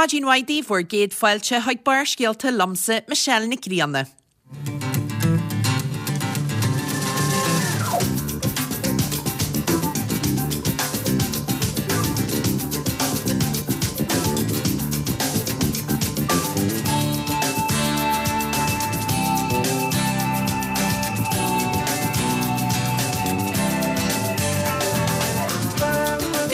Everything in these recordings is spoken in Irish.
Maidin mhaith daoibh, bhur gcéad fáilte chuig Barrscéalta liomsa, Michelle Nic Grianna.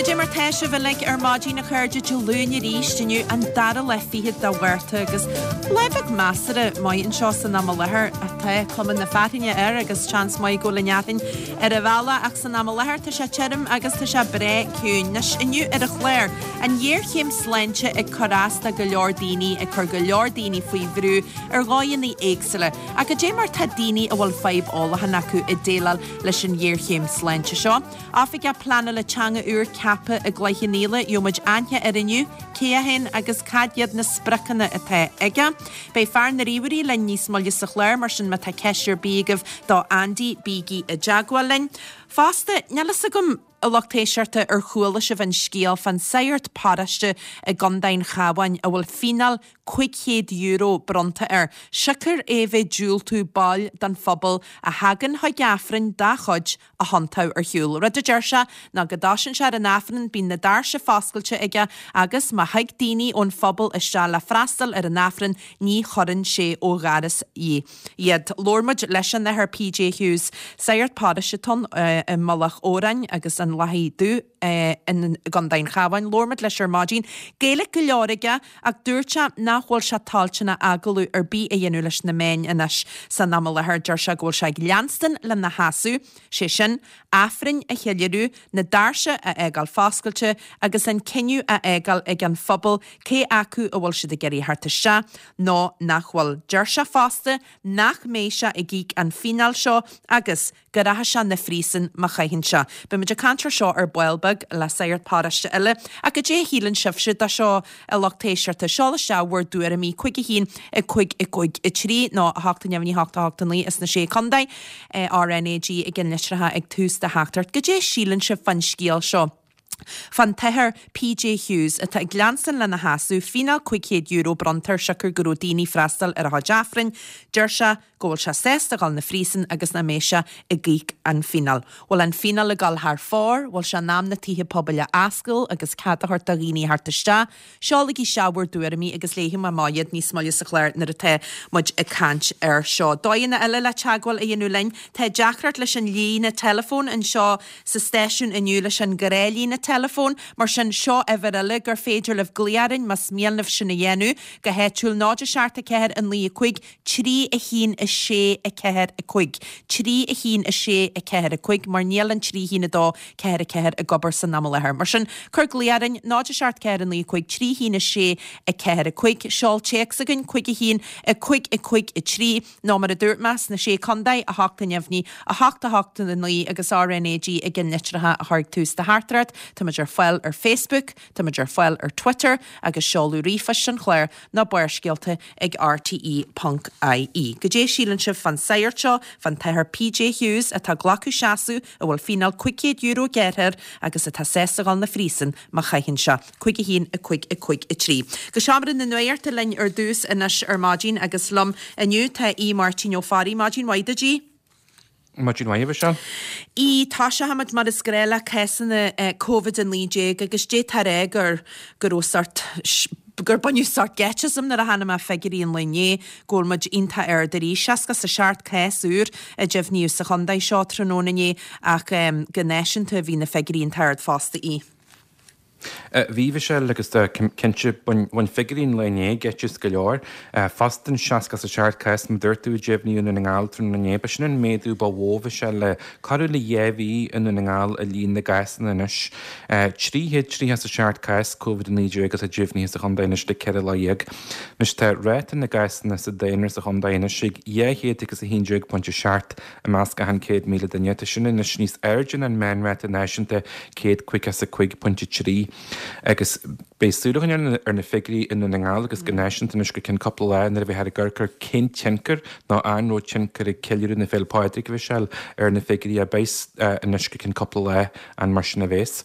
Goidé mar tá sibh uilig ar maidin a chairde Dé Luain arís inniu an dara lá fichead de Mhárta agus lá beag measartha maith anseo san am i láthair tá cuma na fearthainne air agus seans maith go bhfuil an fhearthainn ar an bhealach ach san am i láthair tá sé tirim agus tá sé breá ciúin. Anois inniu ar an chlár, an ghéarchéim sláinte ag cur as do go leor daoine, ag cur go leor daoine faoi bhrú ar dhóigheanna éagsúla. Ach goidé mar tá daoine a bhfuil fadhb ólacháin acu ag déileáil leis an ghéarchéim sláinte seo? Oifigeach Pleanála Teanga úr ceaptha i gCloich Cheann Fhaola, gheobhaidh muid aithne air inniu, cé é féin agus cad iad na spriocanna atá aige. Beidh fear na ríomhairí linn níos moille sa chlár, mar sin má tá ceist ar bith agaibh do Andy, bígí i dteagmháil linn. Fosta, níl fhios agam, a lucht éisteachta, ar chuala sibh an scéal fán sagart paróiste i gContae an Chabháin a bhfuil fíneáil €500 bronnta air, siocair é bheith diúltú baill den phobal a thagann chuig Aifreann dá chuid a thiontú ar shiúl. Rud a deir sé ná go dtosaíonn sé ar an Aifreann, bíonn na doirse foscailte aige agus má thig daoine ón phobal isteach le freastal ar an Aifreann ní chuireann sé ó dhoras iad. Labhair muid leis an Athair PJ Hughes, sagart paróiste atá ann i Mullach Odhráin agus an Lathaigh Dubh i gContae an Chabháin. Labhair muid leis ar maidin. Gaeilge go leor aige ach dúirt sé nach bhfuil sé toilteanach agallamh ar bith a dhéanamh leis na meáin anois san am i láthair. Deir sé go bhfuil sé ag leanstan lena sheasamh, sé sin, Aifrinn a cheiliúradh, na doirse a fhágáil foscailte agus an cinneadh a fhágáil ag an phobal cé acu a bhfuil siad ag iarraidh theacht isteach nó nach bhfuil. Deir sé fosta nach mbeidh sé ag íoc an fíneáil seo agus go rachaidh sé 'na phríosún má chaitheann sé. Beidh muid ag caint ar seo ar ball beag le sagart paróiste eile. Ach goidé a shíleann sibhse de seo, a lucht éisteachta? Seol isteach bhur dtuairimí 5 1 5 5 3 nó 8 neamhní 8 8 9 is na Sé Contae, RnaG i gceannlitreacha ag tús do theachtaireacht. Goidé a síleann sibh fán scéal seo? Fán tAthair PJ Hughes, atá ag leanstan lena sheasamh, fíneáil €500 bronnta air siocair go raibh daoine freastal ar a chuid Aifrinn, deir sé go bhfuil sé sásta dhul 'na phríosún agus nach mbeidh sé ag íoc an fíneáil. Bhfuil an fíneáil ag dul thar fóir? Bhfuil sé in am na tithe pobail a oscail agus cead a thabhairt do dhaoine theacht isteach? Seolaigí isteach bhur dtuairimí agus léifidh mé amach iad níos moille sa chlár nuair atá muid ag caint air seo. Dóigheanna eile le teagmháil a dhéanamh linn. Tá deacracht leis an líne teileafóin anseo sa stáisiún inniu leis an ghnáthlíne teileafóin, mar sin seo uimhir eile gur féidir libh glaoch orainn más mian libh sin a dhéanamh, go háitiúil 0 7 4 9 5 3 1 6 4 5 3 1 6 4 5 mar níl an 3 1 2 4 4 ag obair san am i láthair. Mar sin, cuir glaoch orainn, 0 7 4 9 5 3 1 6 4 5, seol téacs chugainn, 5 1 5 5 3, nó mar a dúirt mé, sna Sé Contae, 8 neamhní, 8 8 9 agus RnaG i gceannlitreacha a chur ag tús do theachtaireacht. Táimid ar fáil ar Facebook, táimid ar fáil ar Twitter agus seoladh ríomhphoist an chláir ná Barrscéalta ag rte ponc ie. Goidé a síleann sibh fán sagart seo, fán tAthair PJ Hughes atá ag glacadh seasamh, a bhfuil fíneáil €500 gearrtha air agus atá sásta dhul 'na phríosún má chaitheann sé. 5 1 5 5 3. Go seomra na nuachta linn ar dtús anois ar maidin agus liom inniu tá Aodh Máirtín Ó Fearraigh. Maidin mhaith duit, Aodh. Maidin mhaith, a Mhichelle. Aodh, Toiseochaimid mar is gnáth le cásanna Covid-19 agus d'fhéadfá a rá gur go raibh sort gur baineadh sort geit asam nuair a chonaic mé figiúirí an lae inné go bhfuil muid iontach ard arís. 67 cás úr a deimhníodh sa chontae seo tráthnóna inné ach go náisiúnta bhí na figiúirí iontach ard fosta. Aodh. Bhí, a Mhichelle, agus cinnte, bhain figiúirí an lae inné geit as go leor. Fosta an 67 cás, mar a dúirt tú, a deimhníodh i nDún na nGall tráthnóna inné, ba sin an méadú ba mhó, a Mhichelle, le corradh le 2 mhí i nDún na nGall i líon na gcásanna anois. 337 cás Covid-19 atá deimhnithe sa chontae anois le 14 lá. Anois tá ráta na gcásanna sa daonra sa chontae anois ag 211.7 I measc achan 100,000 duine, tá sin anois níos airde ná an meánráta náisiúnta, 155.3. Agus beidh súil a choinneáil ar na figiúirí i nDún na nGall agus go náisiúnta anois go ceann cúpla lá nuair a bheifear ag amharc ar cén tionchar nó an raibh tionchar ag ceiliúradh na Féile Pádraig, a Mhichelle, ar na figiúirí a bheas anois go ceann cúpla lá an mar sin a bheas.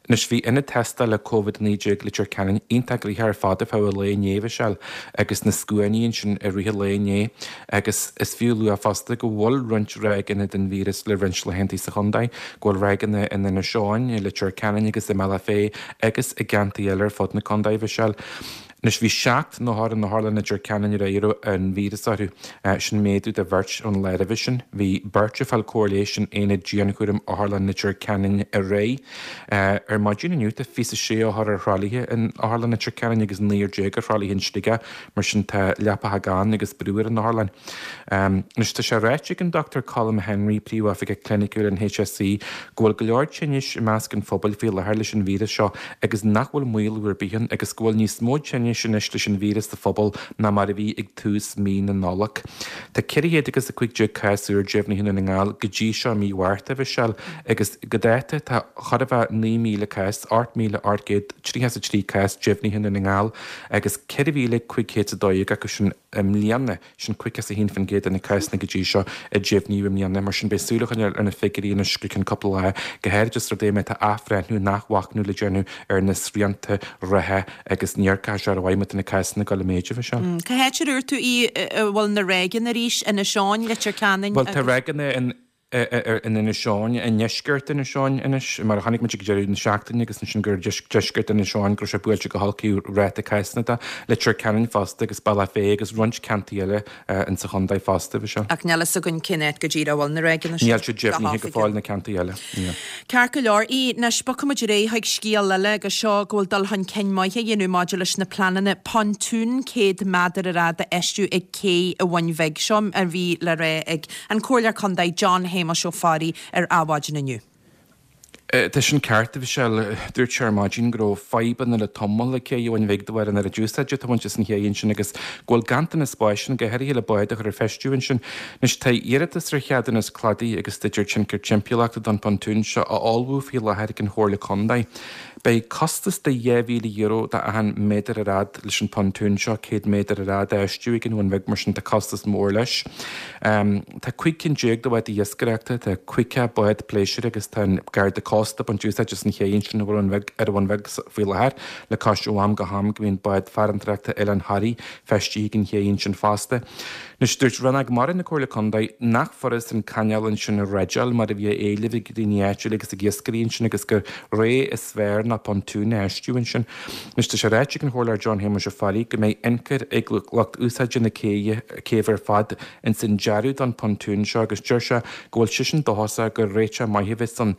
Anois bhí ionad tástála Covid-19 Leitir Ceanainn iontach gnoitheach ar fad ar feadh an lae inné, a Mhichelle, agus na scuainí ansin i rith an lae inné. Agus is fiú a lua fosta go bhfuil roinnt ráigeanna den víreas le roinnt laethanta sa chontae, go bhfuil ráigeanna in Inis Eoghain, i Leitir Ceanainn agus i mBealach Féich agus i gceantair eile ar fud na contae, a Mhichelle. Anois bhí 7 n-othar in Otharlann Leitir Ceanainn aréir a raibh an víreas orthu, sin méadú de bheirt ón lá roimhe sin. Bhí beirt ag fáil cóir leighis in aonad dianchúraim Otharlann Leitir Ceanainn aréir. Ar maidin inniu tá 26 othar ar thralaithe in Otharlann Leitir Ceanainn agus naonúr déag ar thralaithe in Sligeach. Mar sin tá leapacha gann agus brú ar an otharlann. Anois tá sé ráite ag an Dr Colm Henry, Príomhoifigeach Cliniciúil an HSE, go bhfuil go leor tinnis i measc an phobail faoi láthair leis an víreas seo agus nach bhfuil maolú ar bith ann agus go bhfuil níos mó tinnis anois leis an víreas sa phobal ná mar a bhí ag tús mí na Nollag. Tá 415 cás úr deimhnithe i nDún na nGall go dtí seo i mí Mhárta, a Mhichelle, agus go dáta tá chóir a bheith 9,000 cás, 8,833 cás deimhnithe i Ndún na nGall agus 4,512 acu sin i mbliana, sin 51% de na cásanna go dtí seo a deimhníodh i mbliana. Mar sin, beidh súil a choinneáil ar na figiúirí anois go ceann cúpla lá, go háirid os rud é má tá athbhreithniú nó athmhachnamh le déanamh ar na srianta reatha agus ní amharcfaidh sé rómhaith má tá na cásanna ag dul i méid, a Mhichelle. Cá háit a dúirt tú í a bhfuil na ráigeanna arís? Inis Eoghain, Leitir Ceanainn agus. Bhuel, tá ráigeanna in. in Inis Eoghain, i ndeisceart Inis Eoghain anois, mar a chonaic muid ag deireadh na seachtaine agus ansin gur deisceart Inis Eoghain go raibh sé buailte go holc ó ráta cásanna de, Leitir Ceanainn fosta agus Bealach Féich agus roinnt ceantair eile in sa chontae fosta, a Mhichelle. Ach níl fhios againn cén áit go díreach a bhfuil na ráigeanna sin. Níl sé deimhnithe go fóill na ceantair eile, níl. Ceart go leor, anois bogfaidh muid ar aghaidh chuig scéal eile agus seo go bhfuil dul chun cinn maith á dhéanamh maidir leis na pleananna pontún 100 méadar ar fhad a fheistiú ag cé an Bhun Bhig. Seo a bhí le rá ag An Comhairleoir Contae John Shéamuis Ó Fearraigh ar Adhmhaidin inniu. Tá sin ceart, a Mhichelle. Dúirt sé ar maidin go raibh fadhbanna le tamall ag cé an Bhuin Bhig de bharr an oiread úsáide atá á baint as an ché ansin agus go bhfuil ganntanas spáis ann, go háirithe le báid a chur ar feistiú ansin. Anois tá iarratas ar cheadúnas cladaigh agus staidéar tionchair timpeallachta don phontún seo á ullmhú faoi láthair ag an Chomhairle Contae. Beidh costas de €2,000 do achan méadar ar fhad leis an pontún seo, 100 méadar ar fhad, a fheistiú ag an Bhun Bhig, mar sin tá costas mór leis. Tá 15 cinn de bháid iascaireachta, tá 50 bád pléisiúir agus tá an Garda Cósta ag baint úsáid as an ché ansin ar an Bhun Bhig faoi láthair, le cois ó am go ham go mbíonn bád farantóireachta Oileán Thoraí feistithe ag an ché ansin fosta. Anois, dúirt Rannóg Mara na Comhairle Contae nach furas an cainéal ansin a dhreideáil mar a bhí á éileamh ag daoine áitiúla agus ag iascairí ansin agus gur rogha is fearr ná pontún a fheistiú ansin. Anois, tá sé ráite ag an Chomhairleoir John Shéamuis Ó Fearraigh go mbeidh ionchur ag lucht úsáide na céibhe céibhe ar fad ins an dearadh don phontún seo agus deir sé go bhfuil seisean dóchasach gur réiteach maith a bheas ann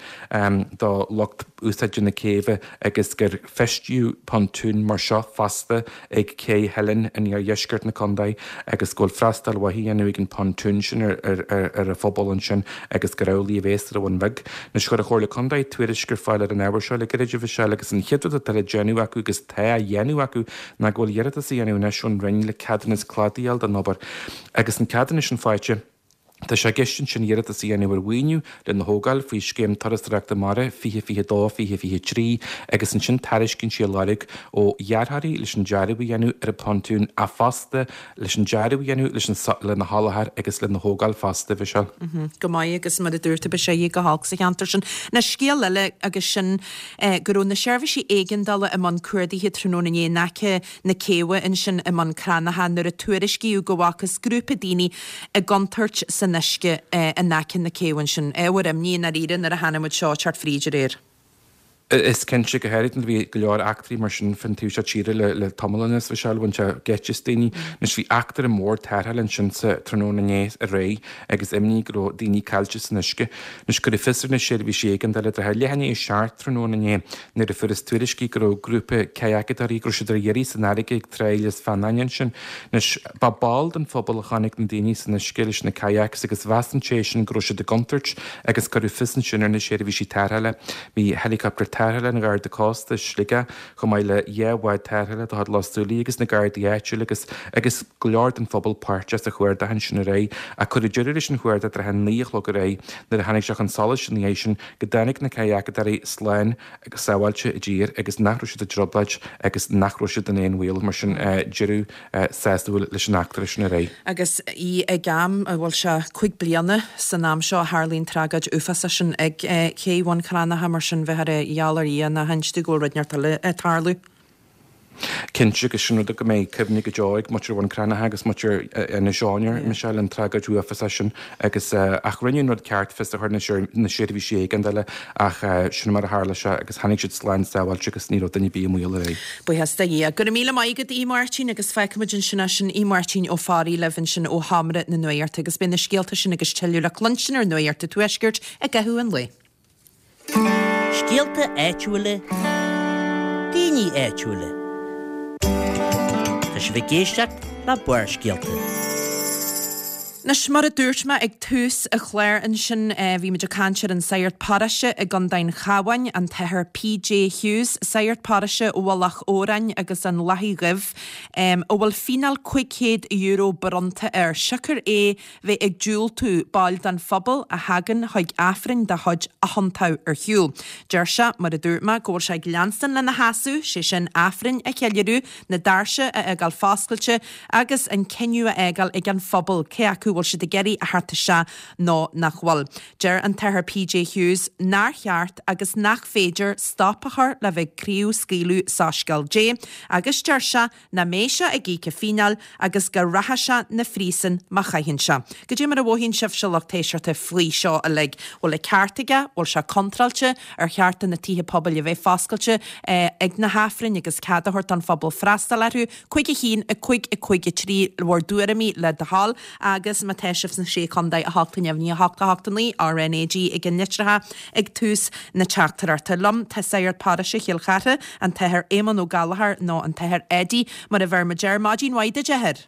do lucht úsáide na céibhe agus gur feistíodh pontún mar seo fosta ag Cé Theilinn in iardheisceart na contae agus go bhfuil freastal mhaith á dhéanamh ag an bpontún sin ar an phobal ansin agus gur amhlaidh a bheas ar an Bhun Bhig. Anois chuir an Chomhairle Contae tuairisc ar fáil ar an ábhar seo le gairid, a Mhichelle, agus an chéad rud atá le déanamh acu agus tá á dhéanamh acu ná go bhfuil iarratas á dhéanamh anois ón Roinn le ceadúnas cladaigh a fháil don obair. Agus an ceadúnas sin faighte, Tá sé i gceist ansin iarratas a dhéanamh ar mhaoiniú lena thógáil faoi Scéim Turasóireachta Mara 2022, 2023 agus ansin tairiscintí a lorg ó dhearthóirí leis an dearadh a dhéanamh ar an bpontún ach fosta leis an dearadh a dhéanamh leis an lena sholáthar agus lena thógáil fosta, a Mhichelle. Go maith agus mar a dúirt tú beidh sé go holc sa cheantar sin. Anois scéal eile agus sin go raibh na seirbhísí éigeandála i mbun cuardaithe tráthnóna inné in aice na céibhe ansin i mBun Cranncha nuair a tuairiscíodh go bhfacthas grúpa daoine i gcontúirt san uisce in aice na céibhe ansin. Ábhar imní i ndáiríre nuair a chonaic muid seo ag teacht fríd aréir. Is cinnte, go háirid nuair a bhí go leor eachtraí mar sin fán taobh seo tíre le tamall anuas, a Mhichelle, bhain sé geit as daoine. Anois bhí eachtra mór tarrthála ansin sa tráthnóna inné aréir agus imní go raibh daoine caillte san uisce. Anois cuireadh fios ar na seirbhísí éigeandála i dtrátha leath i ndiaidh a 7 tráthnóna inné nuair a fuarthas tuairiscí go raibh grúpa cadhacadóirí, go raibh siad ar iarraidh san fharraige ag Trá Lios Feannáin ansin. Anois, ba ball den phobal a chonaic na daoine san uisce leis na kayaks agus mheas an té sin go raibh siad i gcontúirt agus cuireadh fios ansin ar na seirbhísí tarrthála. Bhí helicopter. Tarrthála an Gharda Cósta i Sligeach, chomh maith le 2 bhád tarrthála de chuid Loch Súilí agus na Gardaí áitiúla agus agus go leor den phobal páirteach sa chuardach ansin aréir. Ach cuireadh deireadh leis an chuardach trátha 9 a chlog aréir nuair a tháinig sé chun solais ina dhiaidh sin go dtáinig na cadhacadóirí slán agus sábháilte i dtír agus nach raibh siad i dtrioblóid agus nach raibh siad in aon bhaol, mar sin deireadh sásúil leis an eachtra sin aréir. Agus í ag am, bhuel sea, 5 bliana san am seo a tharlaigh an tragóid uafásach sin ag Cé Bhun Cranncha, mar sin bheifear ag gheall ar Dhia nach inste go bhfuil rud inteacht eile ag tarlú. Cinnte, agus sin rud go mbeidh cuimhne go deo ag muintir Bhun Cranncha agus muintir Inis Eoghain air, Michelle, an tragóid uafásach sin agus ach rinneadh an rud ceart fios a chur ar na seirbhísí éigeandála ach sin mar a tharla sé agus tháinig siad slán sábháilte agus ní raibh duine ar bith i mbaol aréir. Buíochas do Dhia. Go raibh míle maith agat, a Mháirtín, agus fágfaimid ansin é sin, a Mháirtín Ó Fearraigh libh ansin ó Sheomra na Nuachta agus beidh na scéalta sin agus tuilleadh le cluinstin ar Nuacht an Tuaiscirt i gcaitheamh an lae. Scéalta áitiúla, daoine áitiúla. Tá sibh ag éisteacht le Barrscéalta. Anois, mar a dúirt mé ag tús an chláir ansin, bhí muid ag caint ar an sagart paróiste i gContae an Chabháin, an tAthair PJ Hughes, sagart paróiste Mhullach Odhráin agus an Lathaigh Dhuibh, a bhfuil fíneáil €500 bronnta air, siocair é bheith ag diúltú baill den phobal a thagann chuig Aifrinn dá chuid a thiontú ar shiúl. Deir sé, mar a dúirt mé, go bhfuil sé ag leanstan lena sheasamh, sé sin Aifrinn a cheiliúradh, na doirse a fhágáil foscailte agus an cinneadh a fhágáil ag an phobal cé acu bhfuil siad ag iarraidh a theacht isteach nó nach bhfuil. Deir an tAthair PJ Hughes nár cheart agus nach féidir stop a chur le bheith ag craobhscaoileadh soiscéal Dé agus deir sé nach mbeidh sé ag íoc a fíneáil agus go rachaidh sé 'na phríosún má chaitheann sé. Goidé mar a mhothaíonn sibhse lucht éisteachta faoi seo uilig? Bhfuil an ceart aige? Bhfuil sé contráilte? Ar cheart do na tithe pobail a bheith foscailte ag na hAifrinn agus cead a thabhairt don phobal freastal orthu? 5 1 5 5 3 bhur dtuairimí le do thoil agus má tá sibh sna Sé Chontae 8 neamhní 8 8 9 RnaG ag an litreacha ag tús na teachtaireachta. Liom tá Sagart Paróiste Chill Chartha, an tAthair Éamonn Ó Gallchóir nó an tAthair Eddie mar a bheir muid air. Maidin mhaith duit, a Athair.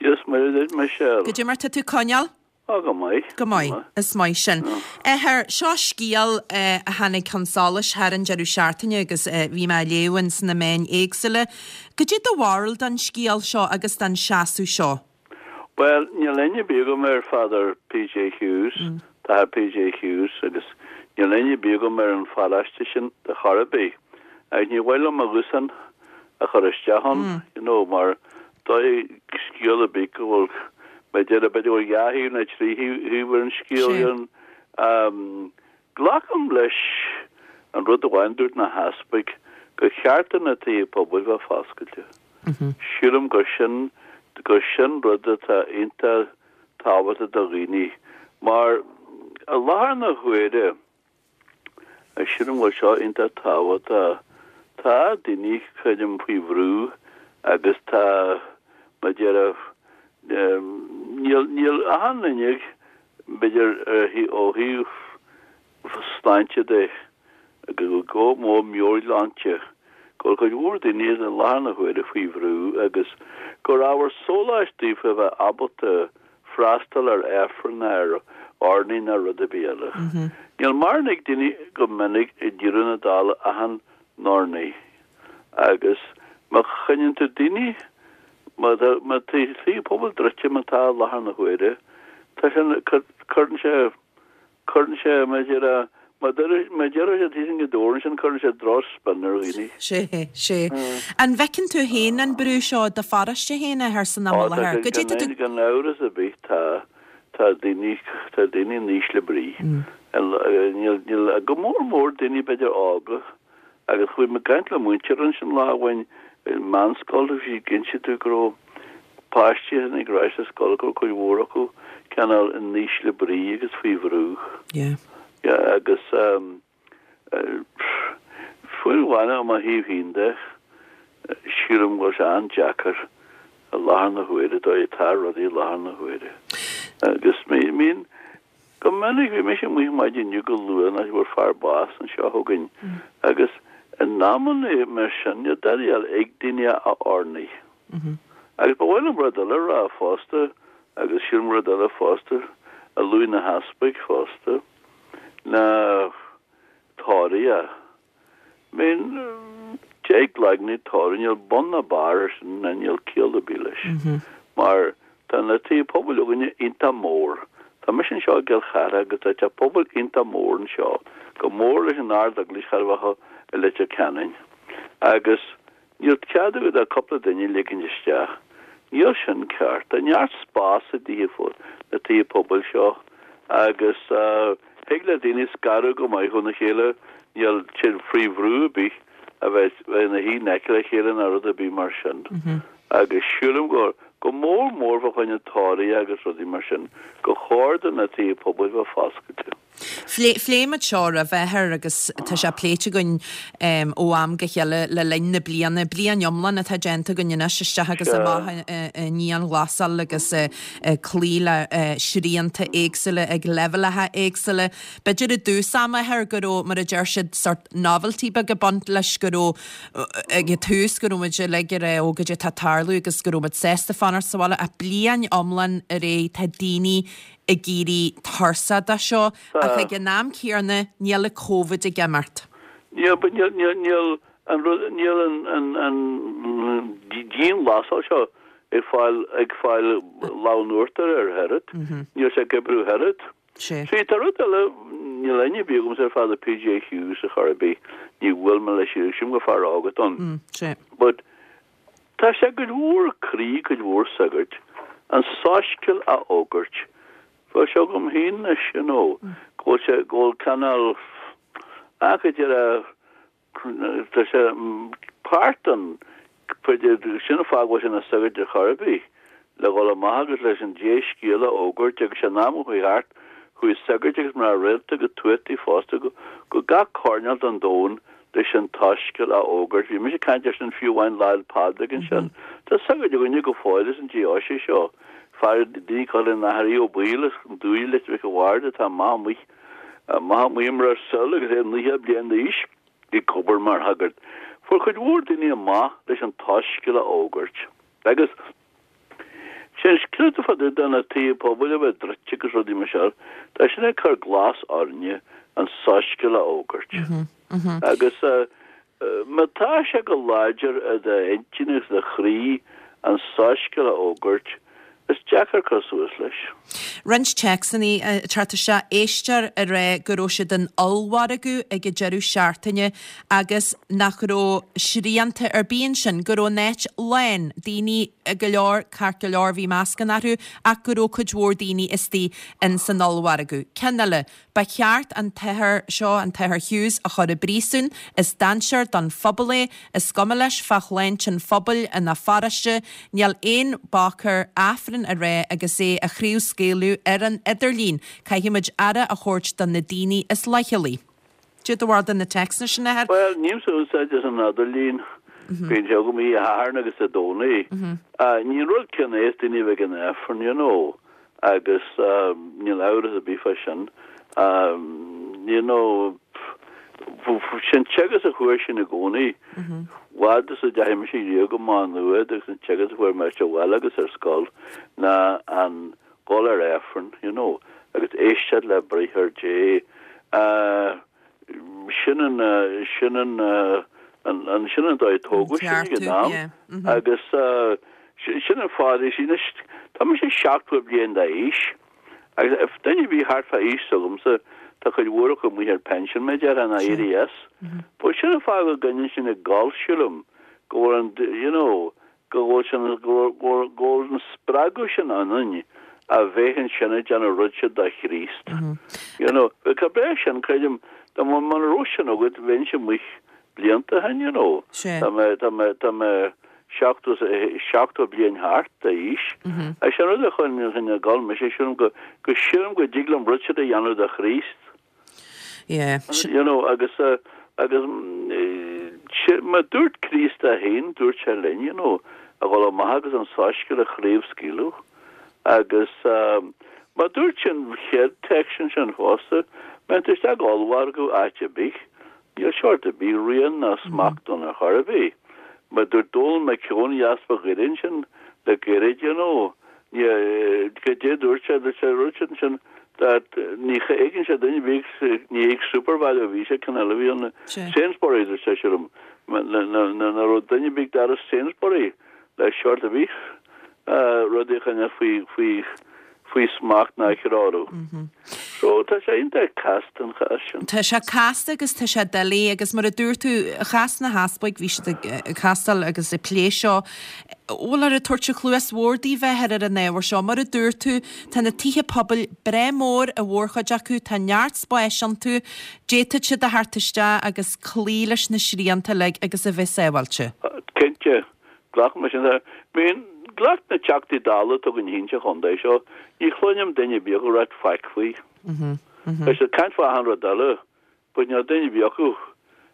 Dia is Muire duit, Michelle. Goidé mar tá tú coinneáil? Á, go maith. Go maith. Is maith sin. Athair, seo scéal a tháinig chun solais thar an deireadh seachtaine agus bhí mé á léamh ins na meáin éagsúla. Goidé do bharúil den scéal seo agus den seasamh seo? Bhuel, níl aithne ar bith agam ar Father PJ Hughes, tAthair PJ Hughes, agus níl aithne ar bith agam ar an pharóiste sin ar chor ar bith. Agus ní mhaith liom mo ghuthsán a chur isteach ann, you know, mar dóigh scéal ar bith go bhfuil, b'fhéidir, b'fhéidir go bhfuil dhá thaobh nó trí thaobh ar an scéal, you know. Um, glacaim leis an rud amháin dúirt na heaspaig, gur cheart do na tithe pobail bheith foscailte. Sílim gur sin, gur sin rud atá iontach tábhachtach do dhaoine mar i láthair na huaire, sílim go bhfuil seo iontach tábhachtach, tá daoine, creidim, faoi bhrú agus tá, mar a déarfá, níl, níl achan duine, b'fhéidir, ó thaobh sláinte de, go mór meabhairshláinte, go bhfuil cuid mhór daoine i láthair na huaire faoi bhrú agus gur ábhar sóláis daofa a bheith ábalta freastal ar Aifreann, ar urnaí ná rud ar bith eile. Níl mórán ag daoine go minic i ndeireadh na dála achan urnaí agus má choinníonn tú daoine, má tá má tá tithe pobail druidte mar atá i láthair na huaire, tá sé, cuireann sé Cuireann sé, mar a déarfá, má déarfá sé taobh an doras ansin, cuireann sé droch-spin ar dhaoine. Sea, sea. An bhfeiceann tú féin an brú seo i do pharóiste féin, a Athair, san am i láthair? Goidé tá tú. Gan amhras ar bith tá, tá daoine, tá daoine in ísle brí. Níl, níl, go mór mór daoine b'fhéidir óga. Agus chuaigh mé ag caint le múinteoir ansin lá amháin i meánscoil, bhí sí ag inse domh go raibh páistí a tháinig ar ais sa scoil, go raibh cuid mhór acu cineál in ísle brí agus faoi bhrú. Yeah. Yeah, agus fiú amháin ó mo thaobh féin de, sílim go bhfuil sé an-deacair i láthair na huaire, dóigh atá rudaí i láthair na huaire. Agus bíonn, Go minic, bhí mise amuigh maidin inniu go luath nó fuair fear bás anseo chugainn agus in amanna mar sin níl dada eile ag daoine ach urnaí. Agus ba mhaith liom rud eile a rá fosta agus sílim rud eile fosta a luaigh na heaspaig fosta ná tórraimh. I mean, deich gcloigne tórraimh, níl bun ná barr air sin ná níl ciall ar bith leis. Mar tá na tithe pobail againne iontach mór. Tá mise anseo i gCill Chartha agus tá teach pobail iontach mór anseo, chomh mór leis an Ard-Eaglais chóir a bheith i Leitir Ceanainn. Agus níl cead agat ach cúpla duine a ligint isteach. Níl sin ceart. Tá neart spás i dtithe, na tithe pobail seo agus thig le daoine scaradh go maith óna chéile, níl siad faoi bhrú ar bith a bheith ina shuí in aice le chéile ná rud ar bith mar sin. Agus sílim go, go mór mór fá choinne tórraimh agus rudaí mar sin, gur chóir do na tithe pobail bheith foscailte. Phléigh muid seo roimhe, a Athair, agus tá sé pléite againn ó am go chéile le linn na bliana, bliain iomlán atá déanta againn anois, isteach agus amach i ndianghlasáil agus ag cloí le srianta éagsúla ag leibhéalacha éagsúla. B'fhéidir i dtús ama, a Athair, go raibh, mar a deir siad, sort novelty beag ag baint leis, go raibh, ag an tús, go raibh muid uilig ag rá, ó, goidé atá ag tarlú agus go raibh muid sásta fanacht sa bhaile ach bliain iomlán ar aghaidh tá daoine ag éirí tuirseach de seo ach ag an am céanna níl an Covid ag imeacht. Níl, but níl, níl, níl an rud, níl an, an, an dianghlasáil seo ag fáil, ag fáil lámh in uachtar air oiread. Níl sé ag oibriú oiread. Sea. Sea, tá rud eile, níl aithne ar bith agamsa ar Father PJ Hughes ar chor ar bith, ní bhuail mé leis, sílim gur fear óg atá ann. Sea. But Tá sé i gcuid mhór croí cuid mhór sagart an soiscéal a fhógairt. Tá sé agam féin anois, you know, go bhfuil sé, go bhfuil cineál, ah, go deireadh, tá sé páirt den, sin an fáth go bhfuil sé ina shagart ar chor ar bith. le dhul amach agus leis an dea-scéal a fhógairt agus san am a chuaigh thart, chuaigh sagairt agus mná rialta go tuataí fosta go gach coirnéal den domhan leis an tsoiscéal a fhógairt. Bhí mise ag caint air sin fiú amháin Lá 'le Pádraig ansin. Tá sagart againne go fóill as an deoise seo, fear daoine cosúil leis an Athair Aodh Ó Baoill as an Dumhaigh Leitir Mhic an Bhaird atá amach amuigh amach amuigh i mBruiséil agus é 90 bliain d'aois ag obair mar shagart. Fuair cuid mhór daoine amach leis an tsoiscéal a fhógairt. Agus sin scéal fá dtaobh de na tithe pobail a bheith druidte agus rudaí mar seo, tá sin ag cur glas orainne an soiscéal a fhógairt. Agus má tá sé go láidir i d'intinn agus do chroí an soiscéal a fhógairt, is deacair cur suas leis. Roinnt téacsanna ag teacht isteach, éisteoir ag rá go raibh siad in ollmhargadh ag an deireadh seachtaine agus nach raibh srianta ar bith ansin, go raibh an áit lán, daoine go leor, ceart go leor bhí mascanna orthu ach go raibh cuid mhór daoine istigh in san ollmhargadh. Ceann eile, ba cheart an t-athair seo, an t-athair Hughes, a chur i bpríosún, is dainséar don phobal é, is cuma leis fá shláinte an phobail ina pharóiste, níl aon bhac air Aifreann a rá agus é a chraobhscaoileadh ar an idirlíon, caithfimid aire a thabhairt do na daoine is leithchealaí. Cad é do bharúil de na téacsanna sin, a Athair? Bhuel, nílimse ag úsáid as an idirlíon. Bíonn sé agam Dé Sathairn agus Dé Domhnaigh. Ní an rud céanna é is daoine a bheith ag an Aifreann, you know, agus níl amhras ar bith fá sin. You know, sin teagasc a fuair sinn i gcónaí. Fhad is a deachaigh mise riamh go Maigh Nuad agus an teagasc a fuair mé sa bhaile agus ar scoil ná an dhul ar Aifreann, you know, agus éisteacht le briathar Dé. Sin an, sin an, an, sin an dóigh a tógadh sinn ag an am. Agus sin an fáth, you see, anois, tá mise 70 bliain d'aois agus duine a bhí thart fá aois s'agamsa, tá cuid mhór acu amuigh ar pension, mar a déarfá, nó éirithe as. But sin an fáth go gcoinníonn sin ag gol, sílim, go bhfuil an, you know, go bhfuil sin, go bhfuil, go bhfuil an spreagadh sin ionainn a bheith ansin ag déanamh rud sin do Chríost. You know, bheadh breá sin, creidim, dá mba, muna raibh sin agat, bheinnse amuigh blianta ó shin, you know. Tá mé, tá mé, tá mé 70, 70 bliain thart d'aois. Agus sin rud a choinnigh ag gol mise, sílim go, go sílim go dtig liom rud sin a dhéanamh do Chríost. Yeah. You know, agus, agus, mar dúirt Críost é féin, dúirt sé linn, you know, a dhul amach agus an soiscéal a chraobhscaoileadh. Agus, mar dúirt an chéad téacs ansin fosta, má théann tú isteach go ollmhargadh áit ar bith, níl seort ar bith rian ná smacht ann ar chor ar bith. Mar dúirt Dónal Mac Eoin, Easpag Dhoire ansin le gairid, you know, ní, goidé dúirt sé, dúirt sé, rud sin ansin. That ní fheiceann sé duine ar bith, ní ag Supervalu a bhí sé, ceann eile a bhí ann, Sainsbury, dúirt seisean liom, nach raibh duine ar bith ag doras Sainsbury le seort ar bith rudaí a choinneáil faoi, faoi, faoi smacht ná a threorú. So tá sé iontach casta an chás sin. Tá sé casta agus tá sé doiligh agus mar a dúirt tú, chas na heaspaig, bhí siad ag castáil agus ag plé seo, bhfuil ag tabhairt an chluas bhodhar daoibh a Athair ar an ábhar seo. Mar a dúirt tú, tá na tithe pobail breá mór, a mhórchuid acu, tá neart spáis iontu, d'fhéadfadh siad a theacht isteach agus cloí leis na srianta uilig agus a bheith sábháilte. Cinnte, glacaim leis sin. I mean, glac na Teachtaí Dála atá againn féin sa chontae seo, ní chluinim duine ar bith acu ag ráit faic faoi. Tá siad ag caint fá achan rud eile. But níl duine ar bith acu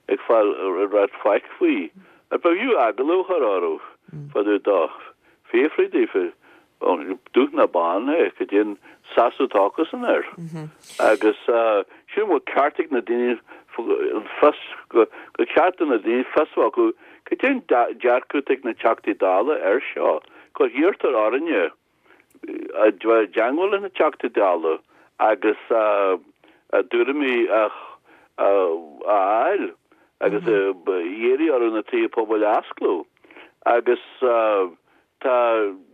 ag fáil ag ráit faic faoi. Ba fhiú agallamh a chur orthu fá dtaobh dó. Fiafraí daofa, dubh ná bán é, cad é an seasamh atá acusan air. Agus sílim go bhfuil ceart ag na daoine fios, gur ceart do na daoine fios a bheith acu cad é an dearcadh atá ag na Teachtaí Dála air seo. Go hiarrtar orainne a bheith i dteangmháil leis na Teachtaí Dála agus a dtuairimí a fháil agus iarraidh orthu na tithe pobail a osclú. Agus tá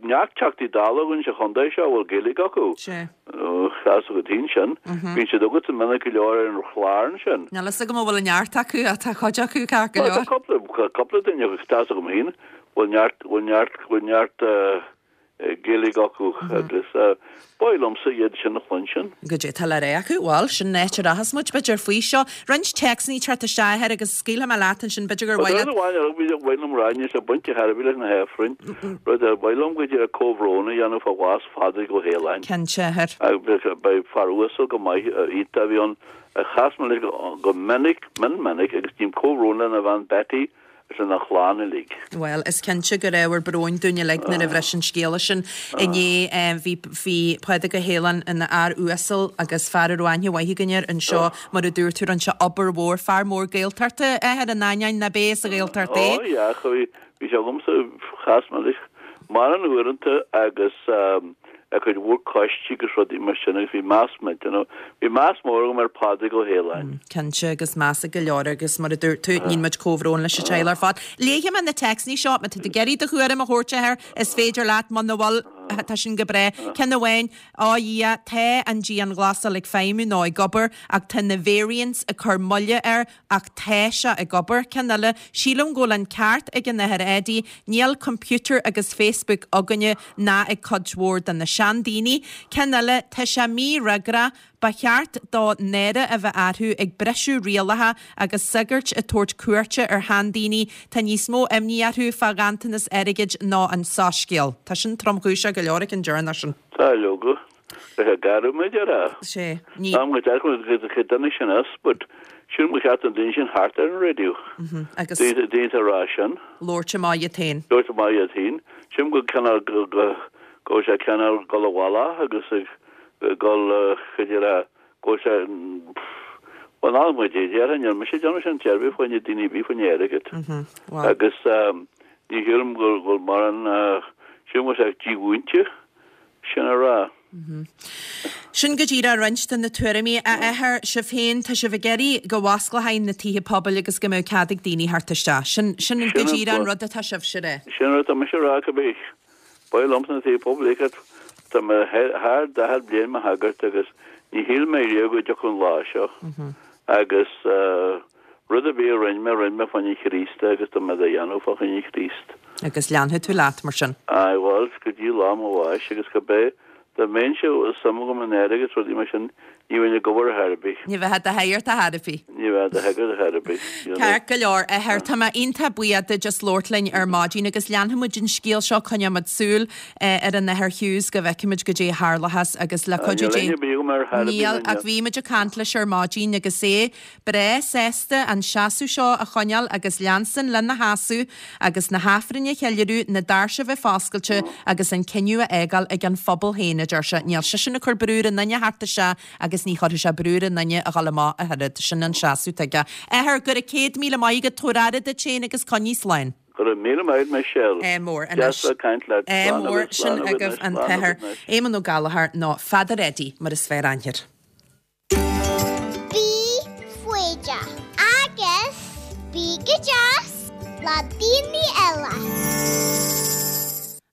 neart Teachtaí Dála againn sa chontae seo a bhfuil Gaeilge acu. Tá 'fhios agat féin sin. Bíonn siad agatsa minic go leor ar an chlár ansin. Níl fhios agam an bhfuil neart acu ach tá cuid acu ceart go leor. Tá cúpla duine acu, tá 'fhios agam féin, bhfuil neart, bhfuil neart, bhfuil neart Gaeilge acu agus ba mhaith liomsa iad sin a chluinstin. Goidé tá le rá acu? Bhuel, sin an áit a rachas muid, b'fhéidir, faoi seo. Roinnt téacsanna ag teacht isteach a Athair agus scaoilfidh mé leat ansin, b'fhéidir gur mhaith leat. Rud amháin a ba mhaith liom rá, níl sé bainte ar chor ar bith leis na hAifrinn, rud ar mhaith liom go díreach comhbhrón a dhéanamh fá bhás Phádraig Ó hAoláin. Cinnte, a Athair. Ba fear uasal go maith, iontach a bhí ann. Chas mé leis go minic, mion minic agus ním comhbhrón lena bhean Betty agus lena chlann uilig. Bhuel, is cinnte gur ábhar bróin dúinn uilig nuair a bhris an scéala sin inné. Bhí, bhí Pádraig Ó hAoláin ina fhear uasal agus fear a raibh aithne mhaith againn air anseo, mar a dúirt tú, rinne sé obair mhór, fear mór Gaeltachta, a Athair, in ainneoin nach b'é as an Ghaeltacht é. Ó, yeah, bhí, bhí sé agamsa, chas mé leis mórán uaireanta agus ar cuid mhór coistí agus rudaí mar sin agus bhí meas you know, bhí meas mór agam ar Phádraig Ó hAoláin. Cinnte, agus meas ag go leor agus mar a dúirt tú, níonn muid comhbhrón leis an teaghlach ar fad. Léifidh mé na téacsanna seo, má tá tú ag iarraidh do thuairim a thabhairt air, is féidir leat, muna bhfuil, tá sin go breá. Ceann amháin, Á Dhia, tá an dianghlasáil ag feidhmiú nó ag obair ach tá na variants ag cur moille air Ach tá sé ag obair. Ceann eile, sílim go bhfuil an ceart ag an Athair Eddie, níl computer agus Facebook againne ná ag cuid mhór de na seandaoine. Ceann eile, tá sé mífhreagrach, ba cheart dó náire a bheith orthu ag briseadh rialacha agus sagairt ag tabhairt cuairte ar sheandaoine, tá níos mó imní orthu fá ghanntanas airgid ná an soiscéal. Tá sin tromchúiseach go leor ag an deireanach sin. Tá, leoga. Bheadh garbh muid ar a. Sé. Ní. Am go dearcadh go go duine sin as, but sílim gur cheart don duine sin theacht ar an raidió. Agus. Daoine daoine a rá sin. Labhairt amach iad féin. Labhairt amach iad féin. Sílim go cineál go go go bhfuil sé cineál dul i bhfolach agus ag dul cad é a go bhfuil sé bhuel ná muid é déarfainn níl mise ag déanamh sin déarfaí fá choinne daoine ar bith fá choinne airgead. Agus ní shílim go bhfuil mórán sílim go bhfuil sé dímhúinte. sin a rá. Sin go díreach roinnt de na tuairimí. A Athair, sibh féin, tá sibh ag iarraidh go bhfosclófaí na tithe pobail agus go mbeadh cead ag daoine theacht isteach. Sin, sin go díreach an rud atá sibhse a rá. Sin an rud atá mise a rá, cibé. Ba mhaith liomsa na tithe pobail a fheiceáil. Tá mé thar 40 bliain mo shagart agus ní shíl mé riamh go dtiocfadh an lá seo. Agus Rud ar bith a rinne mé, rinne mé fá choinne Chríost é agus tá mé dá dhéanamh fá choinne Chríost. Agus leanfaidh tú leat mar sin. Aye, bhuel, go dtí lá mo bháis agus cibé, dá mbeinnse suim agam in airgead is rudaí mar sin, ní bheinn ag obair ar chor ar bith. Ní bheifeá i do shagart ar chor ar bith. Ní bheinn i do shagart ar chor ar bith, you know. Ceart go leor, a Athair, tá mé iontach buíoch duit as labhairt linn ar maidin agus leanfaidh muid an scéal seo, coinneoidh muid súil ar an Athair Hughes go bhfeicfidh muid goidé a tharlóchas agus le cuidiú Dé. Níl aithne ar bith agam air chor ar bith, Níl, ach bhí muid ag caint leis ar maidin agus é breá sásta an seasamh seo a choinneáil agus leanstan lena sheasamh agus na hAifrinn a cheiliúradh, na doirse a bheith foscailte agus an cinneadh a fhágáil ag an phobal féin, a deir sé. Níl seisean ag cur brú ar aon duine theacht isteach agus ní chuirfidh sé brú ar aon duine a dhul amach ach oiread. Sin an seasamh atá aige. Athair, go raibh 100,000 maith agat, tabhair aire duit féin agus coinnigh slán. Go raibh míle maith agat Michelle. Ádh mór anois. Deas bheith ag caint leat. Ádh Slán mór agat, sin slán agat agaibh anois, an slán tAthair agat anois. Éamonn Ó Gallchóir nó Father Eddie mar is fearr aithne air. Bí foighdeach agus bí go deas le daoine eile.